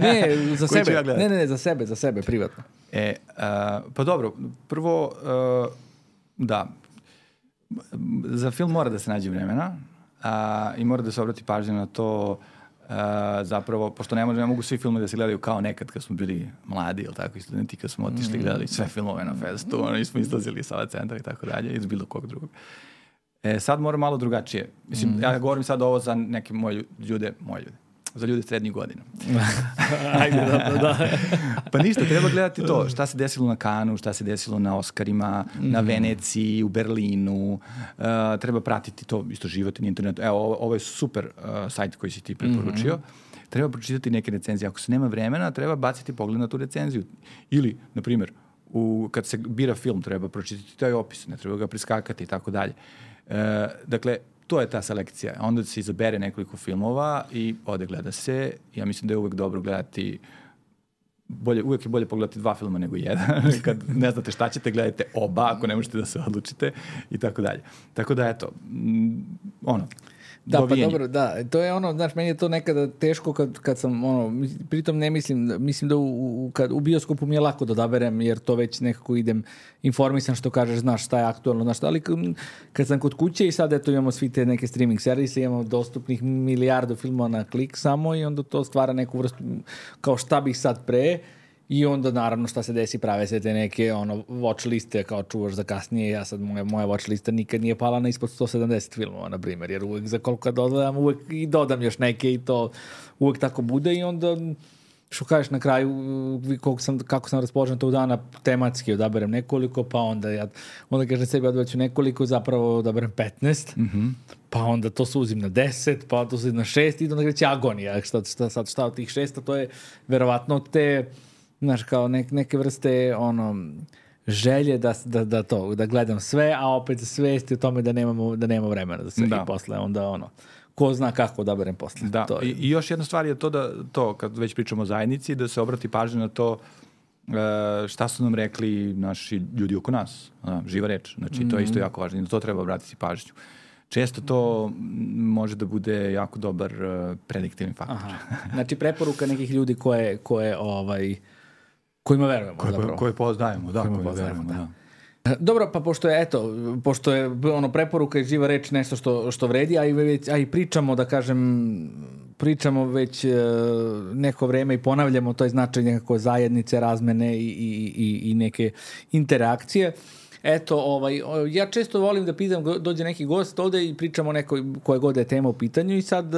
Ne, za sebe. Ja ne, ne, ne, za sebe, za sebe, privatno. E, uh, pa dobro, prvo, uh, da, za film mora da se nađe vremena uh, i mora da se obrati pažnja na to. Uh, zapravo, pošto ne, može, ne mogu svi filmovi da se gledaju kao nekad kad smo bili mladi ili tako i studenti, kad smo otišli mm. gledali sve filmove na festu, ono, nismo izlazili sa ova centra i tako dalje, iz bilo kog drugog. E, sad mora malo drugačije. Mislim, mm. ja govorim sad ovo za neke moje ljude, moje ljude, za ljude srednjih godina. Ajde, da, da. Pa ništa, treba gledati to, šta se desilo na Kanu, šta se desilo na Oskarima, mm. na Veneciji, u Berlinu, uh, treba pratiti to, istraživati na internetu. Evo, ovo, ovo je super uh, sajt koji si ti preporučio. Mm. Treba pročitati neke recenzije. Ako se nema vremena, treba baciti pogled na tu recenziju. Ili, na primjer, u, kad se bira film, treba pročitati taj opis, ne treba ga priskakati i tako dalje. Uh, dakle, to je ta selekcija. Onda se izabere nekoliko filmova i ode gleda se. Ja mislim da je uvek dobro gledati, bolje, uvek je bolje pogledati dva filma nego jedan. Kad ne znate šta ćete, gledajte oba, ako ne možete da se odlučite i tako dalje. Tako da, eto, ono, da, dovijenje. Pa dobro, da, to je ono, znaš, meni je to nekada teško kad, kad sam, ono, pritom ne mislim, mislim da u, u, kad, u bioskopu mi je lako da odaberem, jer to već nekako idem informisan, što kažeš, znaš šta je aktualno, znaš šta, ali kad sam kod kuće i sad, eto, imamo svi te neke streaming servise, imamo dostupnih milijardu filmova na klik samo i onda to stvara neku vrstu, kao šta bih sad pre, i onda naravno šta se desi, prave se te neke ono, watch liste kao čuvaš za kasnije. Ja sad, moja, moja watch lista nikad nije pala na ispod sto sedamdeset filmova, na primjer, jer uvek za koliko dodam, uvek i dodam još neke i to uvek tako bude i onda što kažeš na kraju kako sam, kako sam raspoložen tog dana, tematski odaberem nekoliko, pa onda ja onda kažem sebi odbaću nekoliko, zapravo odaberem petnaest, mm-hmm. pa onda to suzim na deset, pa to suzim na šest i onda kreće agonija. Šta, šta, šta, šta od tih šesta, to je verovatno te, znaš, kao nek, neke vrste ono, želje da, da, da to, da gledam sve, a opet svesti o tome da nemamo, da nema vremena za sve da. I posle onda ono, ko zna kako odaberem posle. Da, to je. I, i još jedna stvar je to da, to, kad već pričamo o zajednici, da se obrati pažnja na to uh, šta su nam rekli naši ljudi oko nas, uh, živa reč, znači mm-hmm. to je isto jako važno i na to treba obratiti pažnju. Često to može da bude jako dobar uh, prediktivni faktor. Aha. Znači preporuka nekih ljudi koje, koje ovaj, kojima verujemo. Koje, zapravo. koje poznajemo, da, koje verujemo, da. da. Dobro, pa pošto je, eto, pošto je ono preporuka i živa reč nešto što, što vredi, a i, već, a i pričamo, da kažem, pričamo već e, neko vreme i ponavljamo to je značaj nekako zajednice, razmene i, i, i, i neke interakcije. Eto, ovaj, ja često volim da pitam, dođe neki gost ovde i pričamo nekoj koje god je tema u pitanju i sad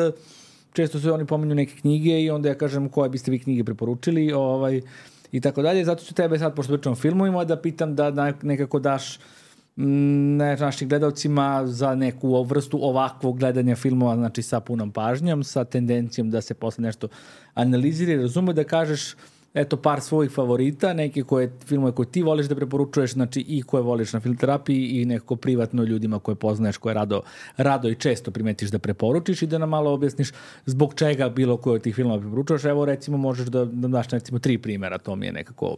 često se oni pominju neke knjige i onda ja kažem koje biste vi knjige preporučili, ovaj, i tako dalje. Zato ću tebe sad, pošto pričamo o filmovima, da pitam da nekako daš ne, našim gledalcima za neku vrstu ovakvog gledanja filmova, znači sa punom pažnjom, sa tendencijom da se posle nešto analizira i razume, da kažeš eto par svojih favorita, neke koje filmove koje ti voliš da preporučuješ, znači i koje voliš na film terapiji i nekako privatno ljudima koje poznaješ, koje rado, rado i često primetiš da preporučiš i da nam malo objasniš zbog čega bilo koje od tih filmova preporučuješ. Evo recimo možeš da nam daš recimo tri primjera, to mi je nekako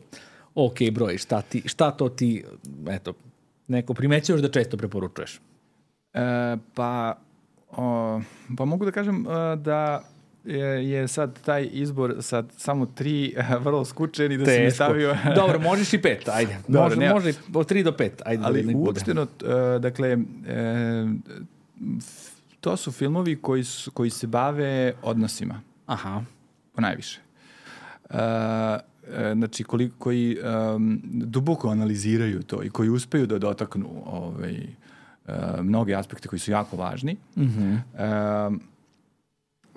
ok broj, šta, ti, šta to ti eto, neko primećuješ da često preporučuješ? E, pa, o, pa mogu da kažem uh, da je, je sad taj izbor sad samo tri vrlo skučen i da si mi stavio... Dobro, možeš i pet, ajde. Dobro, može, može od tri do pet, ajde. Ali da uopšteno, uh, dakle, uh, to su filmovi koji, su, koji se bave odnosima. Aha. Po najviše. Uh, znači koji, koji um, duboko analiziraju to i koji uspeju da dotaknu ovaj, uh, mnoge aspekte koji su jako važni. Mm-hmm. Um,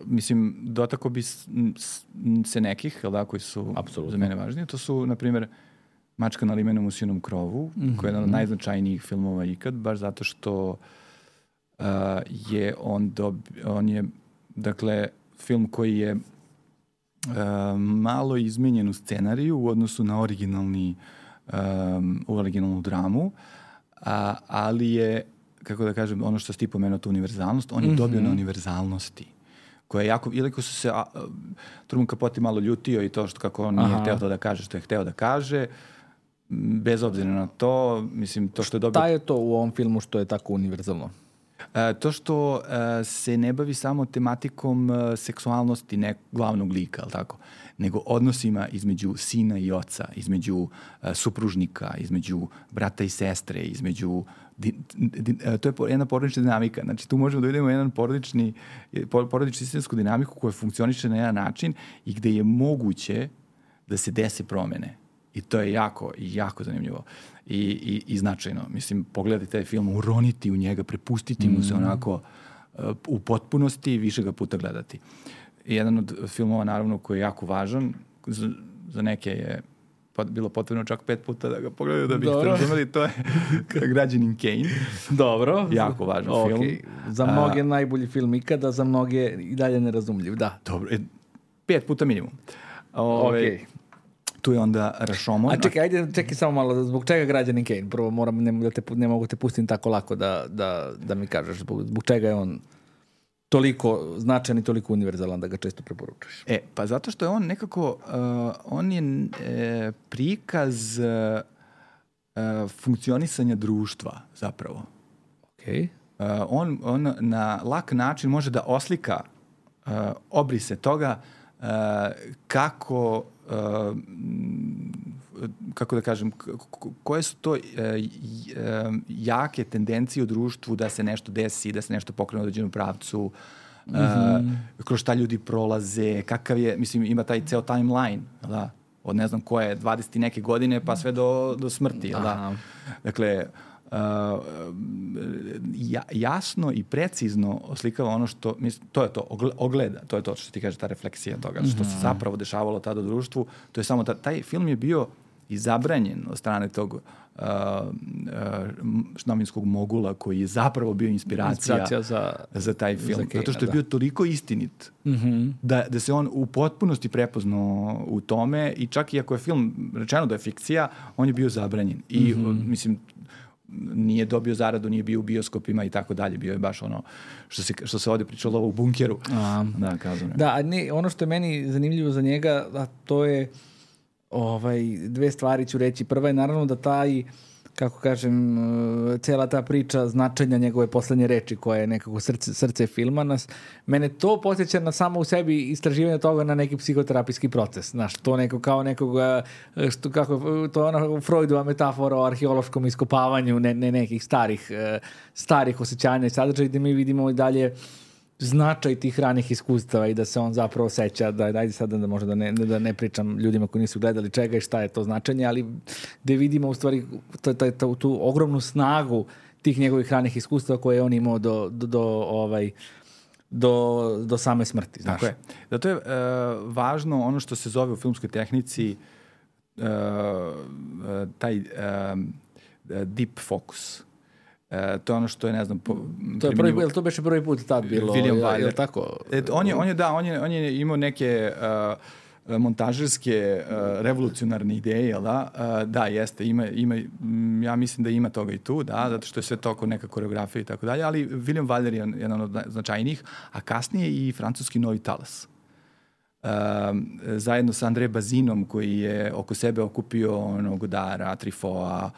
mislim, dotako bi se nekih, jel da, koji su Absolutno. Za mene važnije. To su, na primjer, Mačka na limenom usijenom krovu, mm-hmm. koji je jedan od najznačajnijih filmova ikad, baš zato što uh, je on, dobi, on je, dakle, film koji je Uh, malo izmenjen u scenariju u odnosu na originalni um, u originalnu dramu, a, ali je, kako da kažem, ono što si ti pomenuo, tu univerzalnost, on je mm-hmm. dobio na univerzalnosti, koja je jako, iako su se a, a, Truman Capote malo ljutio i to što kako on nije Aha. hteo to da kaže što je hteo da kaže, bez obzira na to, mislim, to što je dobio... Šta je to u ovom filmu što je tako univerzalno? E, to što e, se ne bavi samo tematikom e, seksualnosti nek glavnog lika, ali tako, nego odnosima između sina i oca, između e, supružnika, između brata i sestre, između... Di, di, e, to je jedna porodična dinamika. Znači, tu možemo da vidimo jedan porodični, porodičnu sistemsku dinamiku koja funkcioniše na jedan način i gde je moguće da se dese promene. I to je jako, jako zanimljivo i, i, i značajno. Mislim, pogledati taj film, uroniti u njega, prepustiti mm. mu se onako uh, u potpunosti i više ga puta gledati. I jedan od filmova, naravno, koji je jako važan, za, za neke je pot, bilo potrebno čak pet puta da ga pogledaju da bi ih razumeli, to je Građanin Kane. Dobro. Jako važan okay. film. Za mnoge uh, najbolji film ikada, za mnoge i dalje nerazumljiv, da. Dobro, e, pet puta minimum. Ove, okay. Tu je onda Rashomon. A čekaj, ajde, čekaj samo malo, zbog čega Građanin Kane? Prvo moram, ne, da te, ne mogu te pustim tako lako da, da, da mi kažeš zbog, zbog čega je on toliko značajan i toliko univerzalan da ga često preporučuješ. E, pa zato što je on nekako, uh, on je e, prikaz uh, funkcionisanja društva zapravo. Okay. Uh, on, on na lak način može da oslika uh, obrise toga uh, kako Uh, kako da kažem, koje su to uh, jake tendencije u društvu da se nešto desi, da se nešto pokrene u određenom pravcu, uh, mm-hmm. kroz šta ljudi prolaze, kakav je, mislim, ima taj ceo timeline, da, od ne znam koje, dvadeset i neke godine pa sve do, do smrti, da. Dakle, Uh, ja, jasno i precizno oslikava ono što, mislim, to je to, ogleda, to je to što ti kaže, ta refleksija toga, što se zapravo dešavalo tada u društvu, to je samo, ta, taj film je bio i zabranjen od strane tog uh, uh, novinskog mogula koji je zapravo bio inspiracija, inspiracija za, za taj film, za Kane, zato što je bio toliko istinit mm-hmm. da, da se on u potpunosti prepoznao u tome i čak i ako je film rečeno da je fikcija, on je bio zabranjen i mm-hmm. mislim, nije dobio zaradu, nije bio u bioskopima i tako dalje, bio je baš ono što se, što se ovdje pričalo u bunkeru. A, da, kazano. Da, a ne, ono što je meni zanimljivo za njega, a to je ovaj, dve stvari ću reći. Prva je naravno da taj, kako kažem, cela ta priča značenja njegove poslednje reči koja je nekako srce, srce filma nas, mene to podsjeća na samo u sebi istraživanje toga na neki psihoterapijski proces. Znaš, to neko kao nekoga, što, kako, to je ona Freudova metafora o arheološkom iskopavanju ne, ne nekih starih, starih osjećanja i sadržaja gde mi vidimo i dalje značaj tih ranih iskustava i da se on zapravo seća, da ajde sad da možda ne, da ne pričam ljudima koji nisu gledali čega i šta je to značenje, ali da vidimo u stvari t, t, t, tu ogromnu snagu tih njegovih ranih iskustava koje je on imao do, do, do, ovaj, do, do same smrti. Znaš. Tako je. Zato je uh, važno ono što se zove u filmskoj tehnici uh, taj um, deep focus. Uh, to je ono što je, ne znam, po, to je prvi, jel to beše prvi put tad bilo? William Wyler. Wyler. Je li tako? Et, on, je, on je, da, on je, on je imao neke uh, montažerske uh, revolucionarne ideje, jel da? Uh, da, jeste, ima, ima, ja mislim da ima toga i tu, da, zato što je sve to oko neka koreografija i tako dalje, ali William Wyler je jedan od značajnijih, a kasnije i francuski Novi talas. Uh, zajedno sa André Bazinom, koji je oko sebe okupio ono, Godara, Truffaut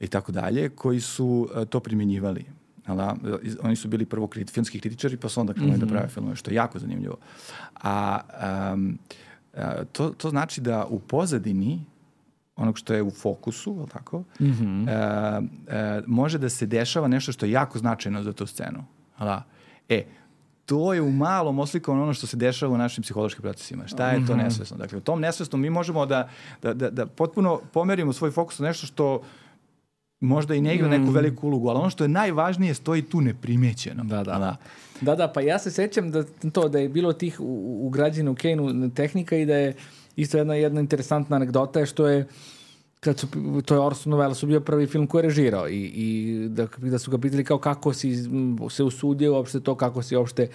i tako dalje, koji su uh, to primjenjivali. Da? Oni su bili prvo kriti, filmski kritičari, pa su onda krenuli mm-hmm. da prave filmove, što je jako zanimljivo. A um, a, to, to znači da u pozadini onog što je u fokusu, je li tako, mm-hmm. a, a, može da se dešava nešto što je jako značajno za tu scenu. Da? E, to je u malom oslikovano ono što se dešava u našim psihološkim procesima. Šta je to mm-hmm. nesvesno? Dakle, u tom nesvesnom mi možemo da, da, da, da potpuno pomerimo svoj fokus na nešto što možda i ne igra neku veliku ulogu, ali ono što je najvažnije stoji tu neprimećeno. Da, da. Da, da, da pa ja se sećam da to da je bilo tih ugrađeno u Kane-u tehnika i da je isto jedna, jedna interesantna anegdota je što je kad su, to je Orson Welles bio prvi film koji je režirao i, i da, da su ga pitali kao kako si se usudio uopšte to, kako si uopšte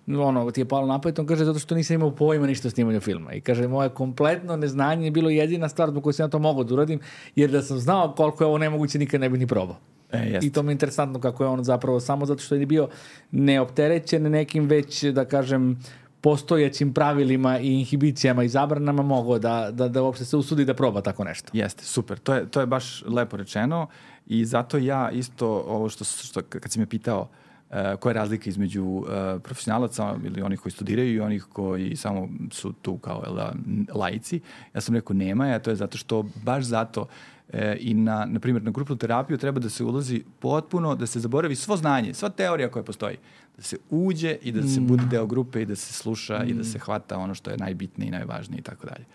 ono, ti je palo napad, on kaže zato što nisam imao pojma ništa o snimanju filma. I kaže, moje kompletno neznanje je bilo jedina stvar zbog koju sam ja to mogao da uradim, jer da sam znao koliko je ovo nemoguće, nikad ne bih ni probao. E, I to mi je interesantno kako je on zapravo samo zato što je bio neopterećen nekim već, da kažem, postojećim pravilima i inhibicijama i zabranama mogao da, da, da uopšte se usudi da proba tako nešto. Jeste, super. To je, to je baš lepo rečeno i zato ja isto ovo što, što kad si me pitao Uh, koja je razlika između uh, profesionalaca ili onih koji studiraju i onih koji samo su tu kao da, laici. Ja sam rekao nema, a to je zato što baš zato uh, i na, na primjer, na grupnu terapiju treba da se ulazi potpuno, da se zaboravi svo znanje, sva teorija koja postoji. Da se uđe i da se mm. bude deo grupe i da se sluša mm. i da se hvata ono što je najbitnije i najvažnije i tako dalje.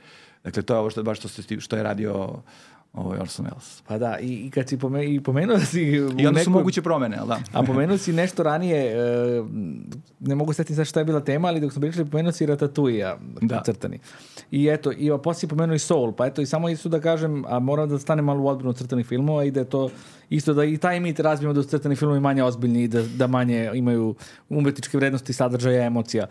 Dakle, to je ovo što, baš što, što je radio ovo je Orson Welles. Pa da, i, i kad si pomenuo, i pomenuo si... I onda neku, su moguće promene, ali da. A pomenuo si nešto ranije, uh, ne mogu setiti sad šta je bila tema, ali dok smo pričali, pomenuo si Ratatouille, da. Crtani. I eto, i posle si pomenuo i Soul, pa eto, i samo isto da kažem, a moram da stane malo u odbranu crtanih filmova i da je to isto da i taj mit razbijemo da su crtani filmovi manje ozbiljni i da, da manje imaju umetničke vrednosti, sadržaja, emocija.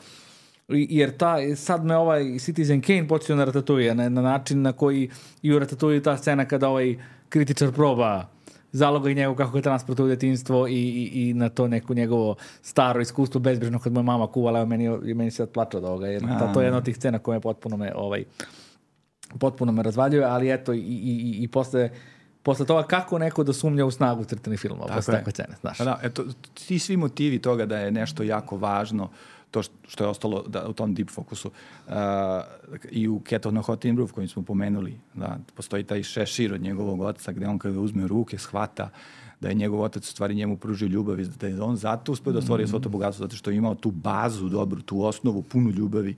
Jer ta, sad me ovaj Citizen Kane počeo na Ratatouille, na, na način na koji i u Ratatouille ta scena kada ovaj kritičar proba zaloga i njegov kako je transportuje u detinjstvo i, i, i na to neko njegovo staro iskustvo bezbrižno kad moja mama kuvala, evo meni, meni se odplača od ovoga, jer ta, to je jedna od tih scena koja me potpuno me, ovaj, potpuno me razvaljuje, ali eto i, i, i, i posle posle toga kako neko da sumnja u snagu crtanih filmova, posle takve scene, znaš. Da, eto, ti svi motivi toga da je nešto jako važno, to što je ostalo da, u tom deep fokusu uh, i u Cat on a Hot Tin Roof koji smo pomenuli, da postoji taj šešir od njegovog oca gde on kada uzme u ruke shvata da je njegov otac u stvari njemu pružio ljubav i da je on zato uspeo da stvori mm. svo to bogatstvo zato što je imao tu bazu dobru, tu osnovu punu ljubavi,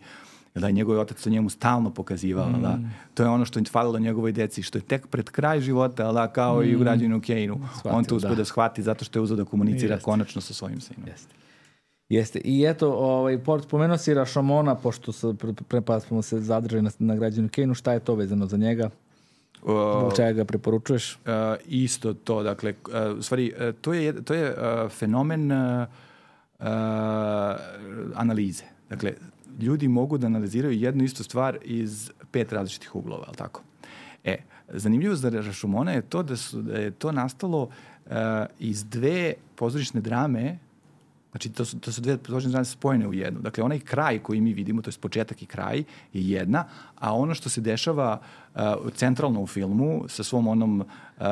da je njegov otac sa njemu stalno pokazivao, mm. da. To je ono što je falilo njegovoj deci, što je tek pred kraj života, da, kao mm. i u Građaninu Kane-u, on to uspeo da. da shvati zato što je uzeo da komunicira Jeste. konačno sa svojim sinom. Jeste. Jeste. I eto, ovaj, spomenuo si Rashomona, pošto se, pre, pre smo se zadržali na, na Građaninu Kane-u, šta je to vezano za njega? Zbog čega ga preporučuješ? Uh, isto to, dakle, uh, u stvari, uh, to je, to je uh, fenomen uh, uh, analize. Dakle, ljudi mogu da analiziraju jednu istu stvar iz pet različitih uglova, ali tako? E, zanimljivo za Rashomona je to da, su, da je to nastalo uh, iz dve pozorišne drame. Znači, to su, to su dve pozorišne drame spojene u jednu. Dakle, onaj kraj koji mi vidimo, to je početak i kraj, je jedna, a ono što se dešava uh, centralno u filmu, sa svom onom uh,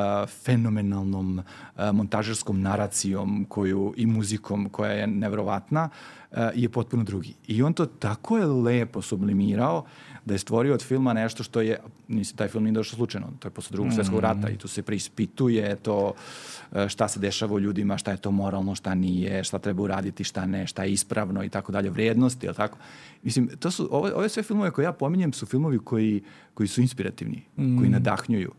fenomenalnom uh, montažerskom naracijom koju, i muzikom koja je neverovatna, uh, je potpuno drugi. I on to tako je lepo sublimirao da je stvorio od filma nešto što je, mislim, taj film nije došao slučajno, to je posle drugog svjetskog rata i tu se preispituje to šta se dešava u ljudima, šta je to moralno, šta nije, šta treba uraditi, šta ne, šta je ispravno i tako dalje, vrijednosti, jel tako? Mislim, to su, ove, ove sve filmove koje ja pominjem su filmovi koji, koji su inspirativni, mm. koji nadahnjuju.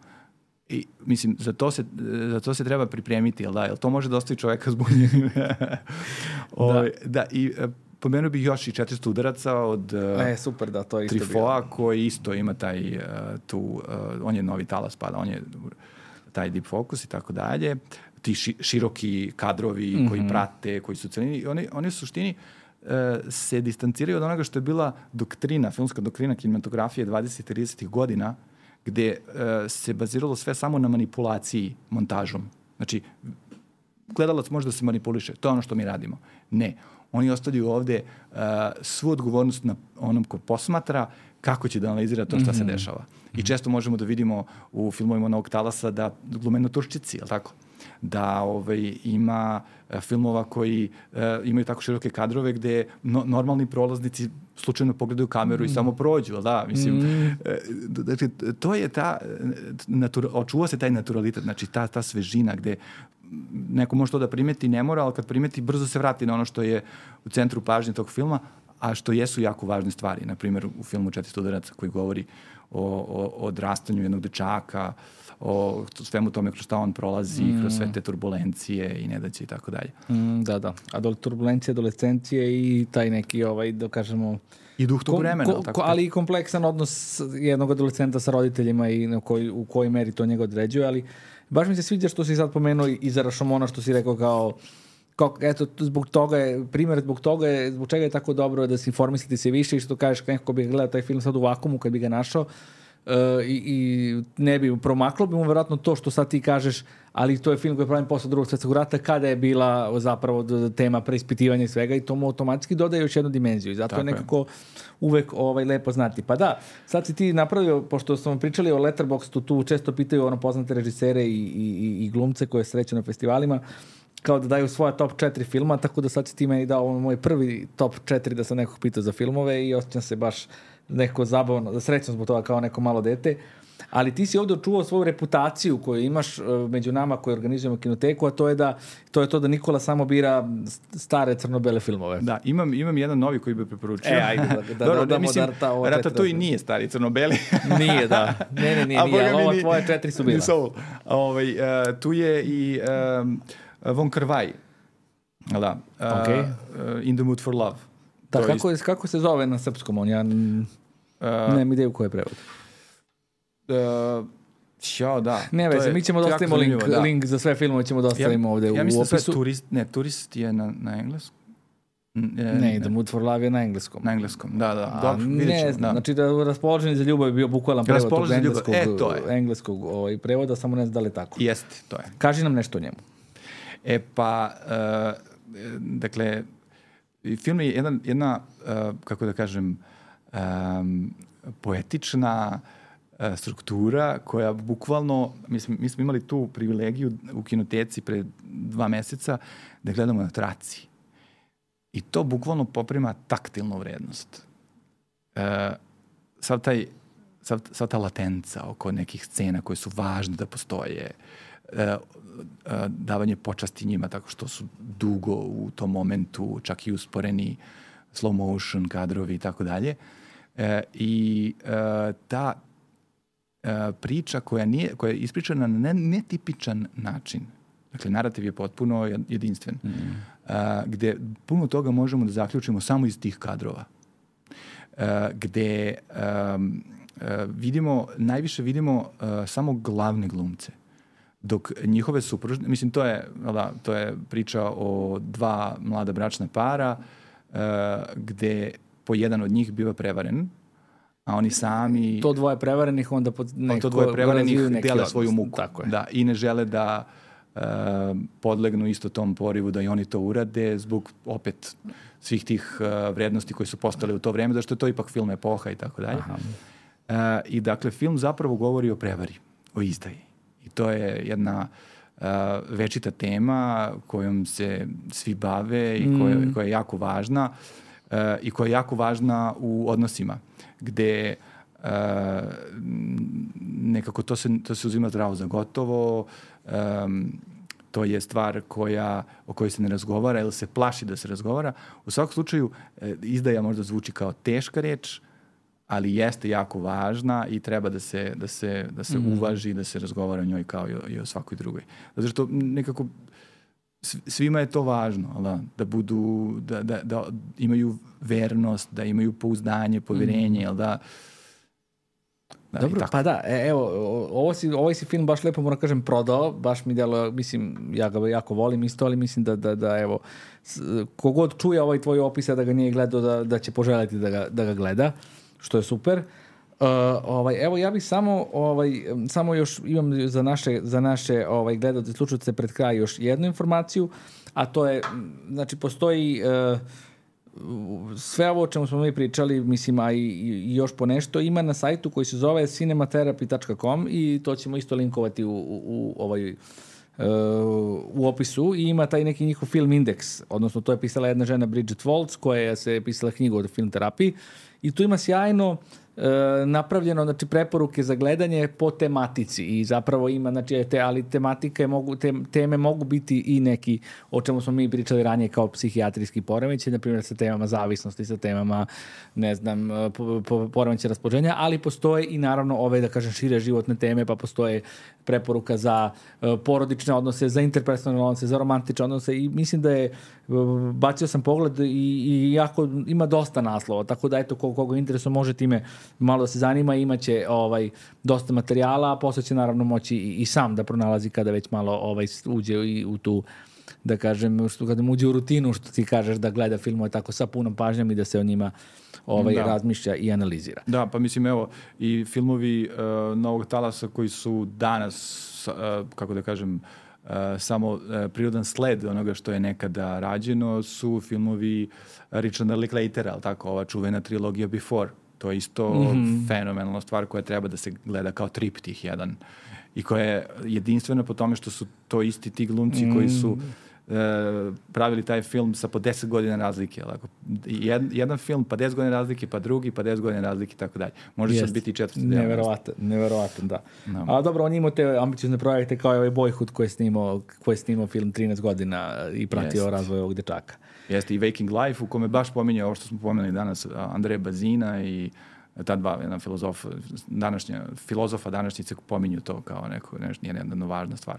I, mislim, za to se, za to se treba pripremiti, jel da? Jel to može da ostavi čoveka zbunjenim? da. da, i pomenuo bih još i četiristo udaraca od e, super, da, to je isto Trifoa, bio. koji isto ima taj uh, tu, uh, on je novi talas pada, on je taj deep focus i tako dalje, ti ši, široki kadrovi mm-hmm. koji prate, koji su celini, oni, oni u suštini uh, se distanciraju od onoga što je bila doktrina, filmska doktrina kinematografije dvadesetih tridesetih godina, gde uh, se baziralo sve samo na manipulaciji montažom. Znači, gledalac može da se manipuliše, to je ono što mi radimo. Ne, oni ostavljaju ovde uh, svu odgovornost na onom ko posmatra kako će da analizira to šta mm-hmm. se dešava. Mm-hmm. I često možemo da vidimo u filmovima Novog talasa da glume naturščici, je li tako? Da ovaj, ima uh, filmova koji uh, imaju tako široke kadrove gde no, normalni prolaznici slučajno pogledaju kameru mm. i samo prođu, da, mislim, mm. znači, to je ta, natura, očuva se taj naturalitet, znači ta, ta svežina gde neko može to da primeti, ne mora, ali kad primeti, brzo se vrati na ono što je u centru pažnje tog filma, a što jesu jako važne stvari. Na primjer, u filmu četiristo udaraca koji govori o, o, o odrastanju jednog dečaka, o svemu tome kroz šta on prolazi, mm. kroz sve te turbulencije i nedaće i tako dalje. Mm, da, da. A do turbulencije, adolescencije i taj neki, ovaj, da kažemo... I duh tog vremena. Ko, ko, ali i kompleksan odnos jednog adolescenta sa roditeljima i na koji, u kojoj meri to njega određuje, ali baš mi se sviđa što si sad pomenuo i za Rashomona, što si rekao kao, kao eto, zbog toga je, primjer zbog toga je, zbog čega je tako dobro da se informisati se više i što kažeš neko bi gledao taj film sad u vakumu kad bi ga našao, Uh, i, i ne bi promaklo bi mu verovatno to što sad ti kažeš, ali to je film koji je pravim posle drugog svjetskog rata kada je bila zapravo tema preispitivanja i svega i to mu automatski dodaje još jednu dimenziju i zato tako je nekako je. uvek ovaj, lepo znati. Pa da, sad si ti napravio, pošto smo pričali o Letterboxdu, tu često pitaju ono poznate režisere i, i, i glumce koje sreću na festivalima kao da daju svoja top četiri filma, tako da sad si ti meni dao moj prvi top četiri da sam nekog pitao za filmove i osjećam se baš neko zabavno, da srećno zbog toga kao neko malo dete, ali ti si ovdje očuvao svoju reputaciju koju imaš među nama koji organizujemo kinoteku, a to je da to je to da Nikola samo bira stare crno-bele filmove. Da, imam, imam jedan novi koji bi preporučio. E, ajde, da, da Dobro, dodamo mislim, da ovo četiri. Ratatouille nije stari crno-beli. Nije, da. Ne, ne, nije, A nije, ali ova ni, tvoje četiri su bila. Ovaj, uh, tu je i um, Von Kar-wai. Da. Uh, okay. uh, In the Mood for Love. Da, kako, je, kako se zove na srpskom? On, ja uh, nemam ideju koji je prevod. Uh, Ćao, da. Ne veze, mi ćemo da ostavimo link, da. link za sve filmove, ćemo da ostavimo ja, ovde ja u mislim opisu. Da turist, ne, turist je na, na engleskom. Ne, ne, The Mood for Love je na engleskom. Na engleskom, da, da. A, Dobro, vidjet ćemo. Ne, da. Znači da Raspoloženi za ljubav je bio bukvalan prevod tog engleskog, e, to je. engleskog ovaj, prevoda, samo ne znam da li je tako. Jeste, to je. Kaži nam nešto o njemu. E pa, uh, dakle, film je jedna, jedna uh, kako da kažem, um, poetična uh, struktura koja bukvalno, mi smo, mi smo imali tu privilegiju u kinoteci pre dva meseca da gledamo na traci. I to bukvalno poprima taktilnu vrednost. Uh, sav, taj, sav, sav ta latenca oko nekih scena koje su važne da postoje, uh, uh, davanje počasti njima tako što su dugo u tom momentu, čak i usporeni slow motion kadrovi i tako dalje. I uh, ta uh, priča koja, nije, koja je ispričana na netipičan način, dakle, narativ je potpuno jedinstven, mm. uh, gde puno toga možemo da zaključimo samo iz tih kadrova. Uh, gde um, uh, vidimo, najviše vidimo uh, samo glavne glumce. Dok njihove supružne, mislim, to je, da, to je priča o dva mlada bračna para, uh, gde po jedan od njih biva prevaren, a oni sami... To dvoje prevarenih onda pod neko... To dvoje prevarenih dele odnos. Svoju muku. Tako je. Da, i ne žele da uh, podlegnu isto tom porivu da i oni to urade zbog opet svih tih uh, vrednosti koji su postale u to vreme, zašto je to ipak film epoha i tako dalje. Uh, I dakle, film zapravo govori o prevari, o izdaji. I to je jedna uh, večita tema kojom se svi bave i koja, mm. koja je jako važna. Uh, i koja je jako važna u odnosima, gde uh, nekako to se, to se uzima zdravo za gotovo, um, to je stvar koja, o kojoj se ne razgovara ili se plaši da se razgovara. U svakom slučaju, izdaja možda zvuči kao teška reč, ali jeste jako važna i treba da se, da se, da se mm. uvaži, da se razgovara o njoj kao i o, i o svakoj drugoj. Zato što nekako svima je to važno, da, da budu, da, da, da imaju vernost, da imaju pouzdanje, povjerenje, mm. da... Da, dobro, pa da, e, evo, ovo si, ovaj si film baš lepo, moram kažem, prodao, baš mi delo, mislim, ja ga jako volim isto, ali mislim da, da, da evo, kogod čuje ovaj tvoj opis, da ga nije gledao, da, da će poželjeti da ga, da ga gleda, što je super. Uh, ovaj, evo, ja bih samo, ovaj, samo još imam za naše, za naše ovaj, gledalce, slušalce pred kraj još jednu informaciju, a to je, znači, postoji... Uh, sve ovo o čemu smo mi pričali, mislim, a i, i još po nešto, ima na sajtu koji se zove cinematherapy tačka com i to ćemo isto linkovati u, u, u, ovaj, uh, u opisu i ima taj neki njihov film indeks, odnosno to je pisala jedna žena Bridget Waltz koja se je pisala knjigu o film terapiji i tu ima sjajno E, napravljeno, znači, preporuke za gledanje po tematici i zapravo ima, znači, te, ali tematike mogu, te, teme mogu biti i neki, o čemu smo mi pričali ranije kao psihijatrijski poremećaj, na primjer sa temama zavisnosti, sa temama, ne znam, po, po, poremećaj raspoloženja, ali postoje i naravno ove, da kažem, šire životne teme, pa postoje preporuka za uh, porodične odnose, za interpersonalne odnose, za romantične odnose i mislim da je, uh, bacio sam pogled i, i jako ima dosta naslova, tako da eto, koga, koga interesuje može time malo da se zanima, imaće ovaj, dosta materijala, a posle će naravno moći i, i sam da pronalazi kada već malo ovaj, uđe i u tu, da kažem, što kada mu uđe u rutinu, što ti kažeš da gleda filmove tako sa punom pažnjom i da se o njima ovaj, da. razmišlja i analizira. Da, pa mislim, evo, i filmovi uh, Novog talasa koji su danas, uh, kako da kažem, uh, samo uh, prirodan sled onoga što je nekada rađeno, su filmovi Richarda Linklatera, ali tako, ova čuvena trilogija Before. To je isto mm-hmm. fenomenalna stvar koja treba da se gleda kao triptih jedan i koja je jedinstvena po tome što su to isti ti glumci mm. koji su e, pravili taj film sa po deset godina razlike. Jed, jedan film pa deset godina razlike, pa drugi, pa deset godina razlike i tako dalje. Može sad biti i četvrti. Neverovatan, neverovatan, da. No. A dobro, on imao te ambiciozne projekte kao i ovaj Boyhood koji je snimao, koji je snimao film trinaest godina i pratio Jest. razvoj ovog dečaka. Jeste i Waking Life u kome baš pominje ovo što smo pomenuli danas, Andreja Bazina i ta dva jedna filozofa, današnja, filozofa današnjice pominju to kao neko, nešto, nije jedna važna stvar.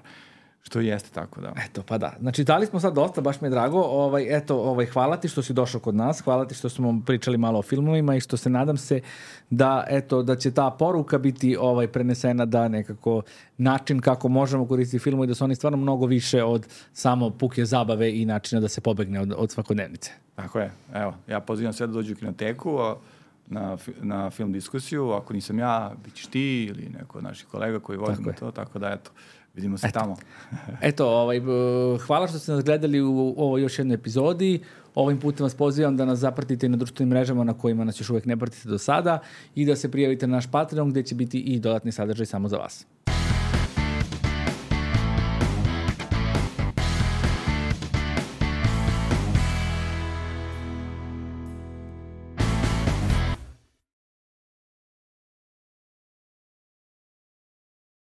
Što jeste tako, da. Eto, pa da. Znači, dali smo sad dosta, baš mi je drago. Ovaj, eto, ovaj, hvala ti što si došao kod nas, hvala ti što smo pričali malo o filmovima i što se nadam se da, eto, da će ta poruka biti ovaj, prenesena da nekako način kako možemo koristiti filmove i da su oni stvarno mnogo više od samo puke zabave i načina da se pobegne od, od svakodnevnice. Tako je. Evo, ja pozivam sve da dođu u kinoteku, na, na film diskusiju. Ako nisam ja, bit ćeš ti ili neko od naših kolega koji vodimo to, tako da, eto, vidimo se eto. tamo. Eto, ovaj, hvala što ste nas gledali u ovoj još jednoj epizodi. Ovim putem vas pozivam da nas zapratite na društvenim mrežama na kojima nas još uvijek ne pratite do sada i da se prijavite na naš Patreon gdje će biti i dodatni sadržaj samo za vas.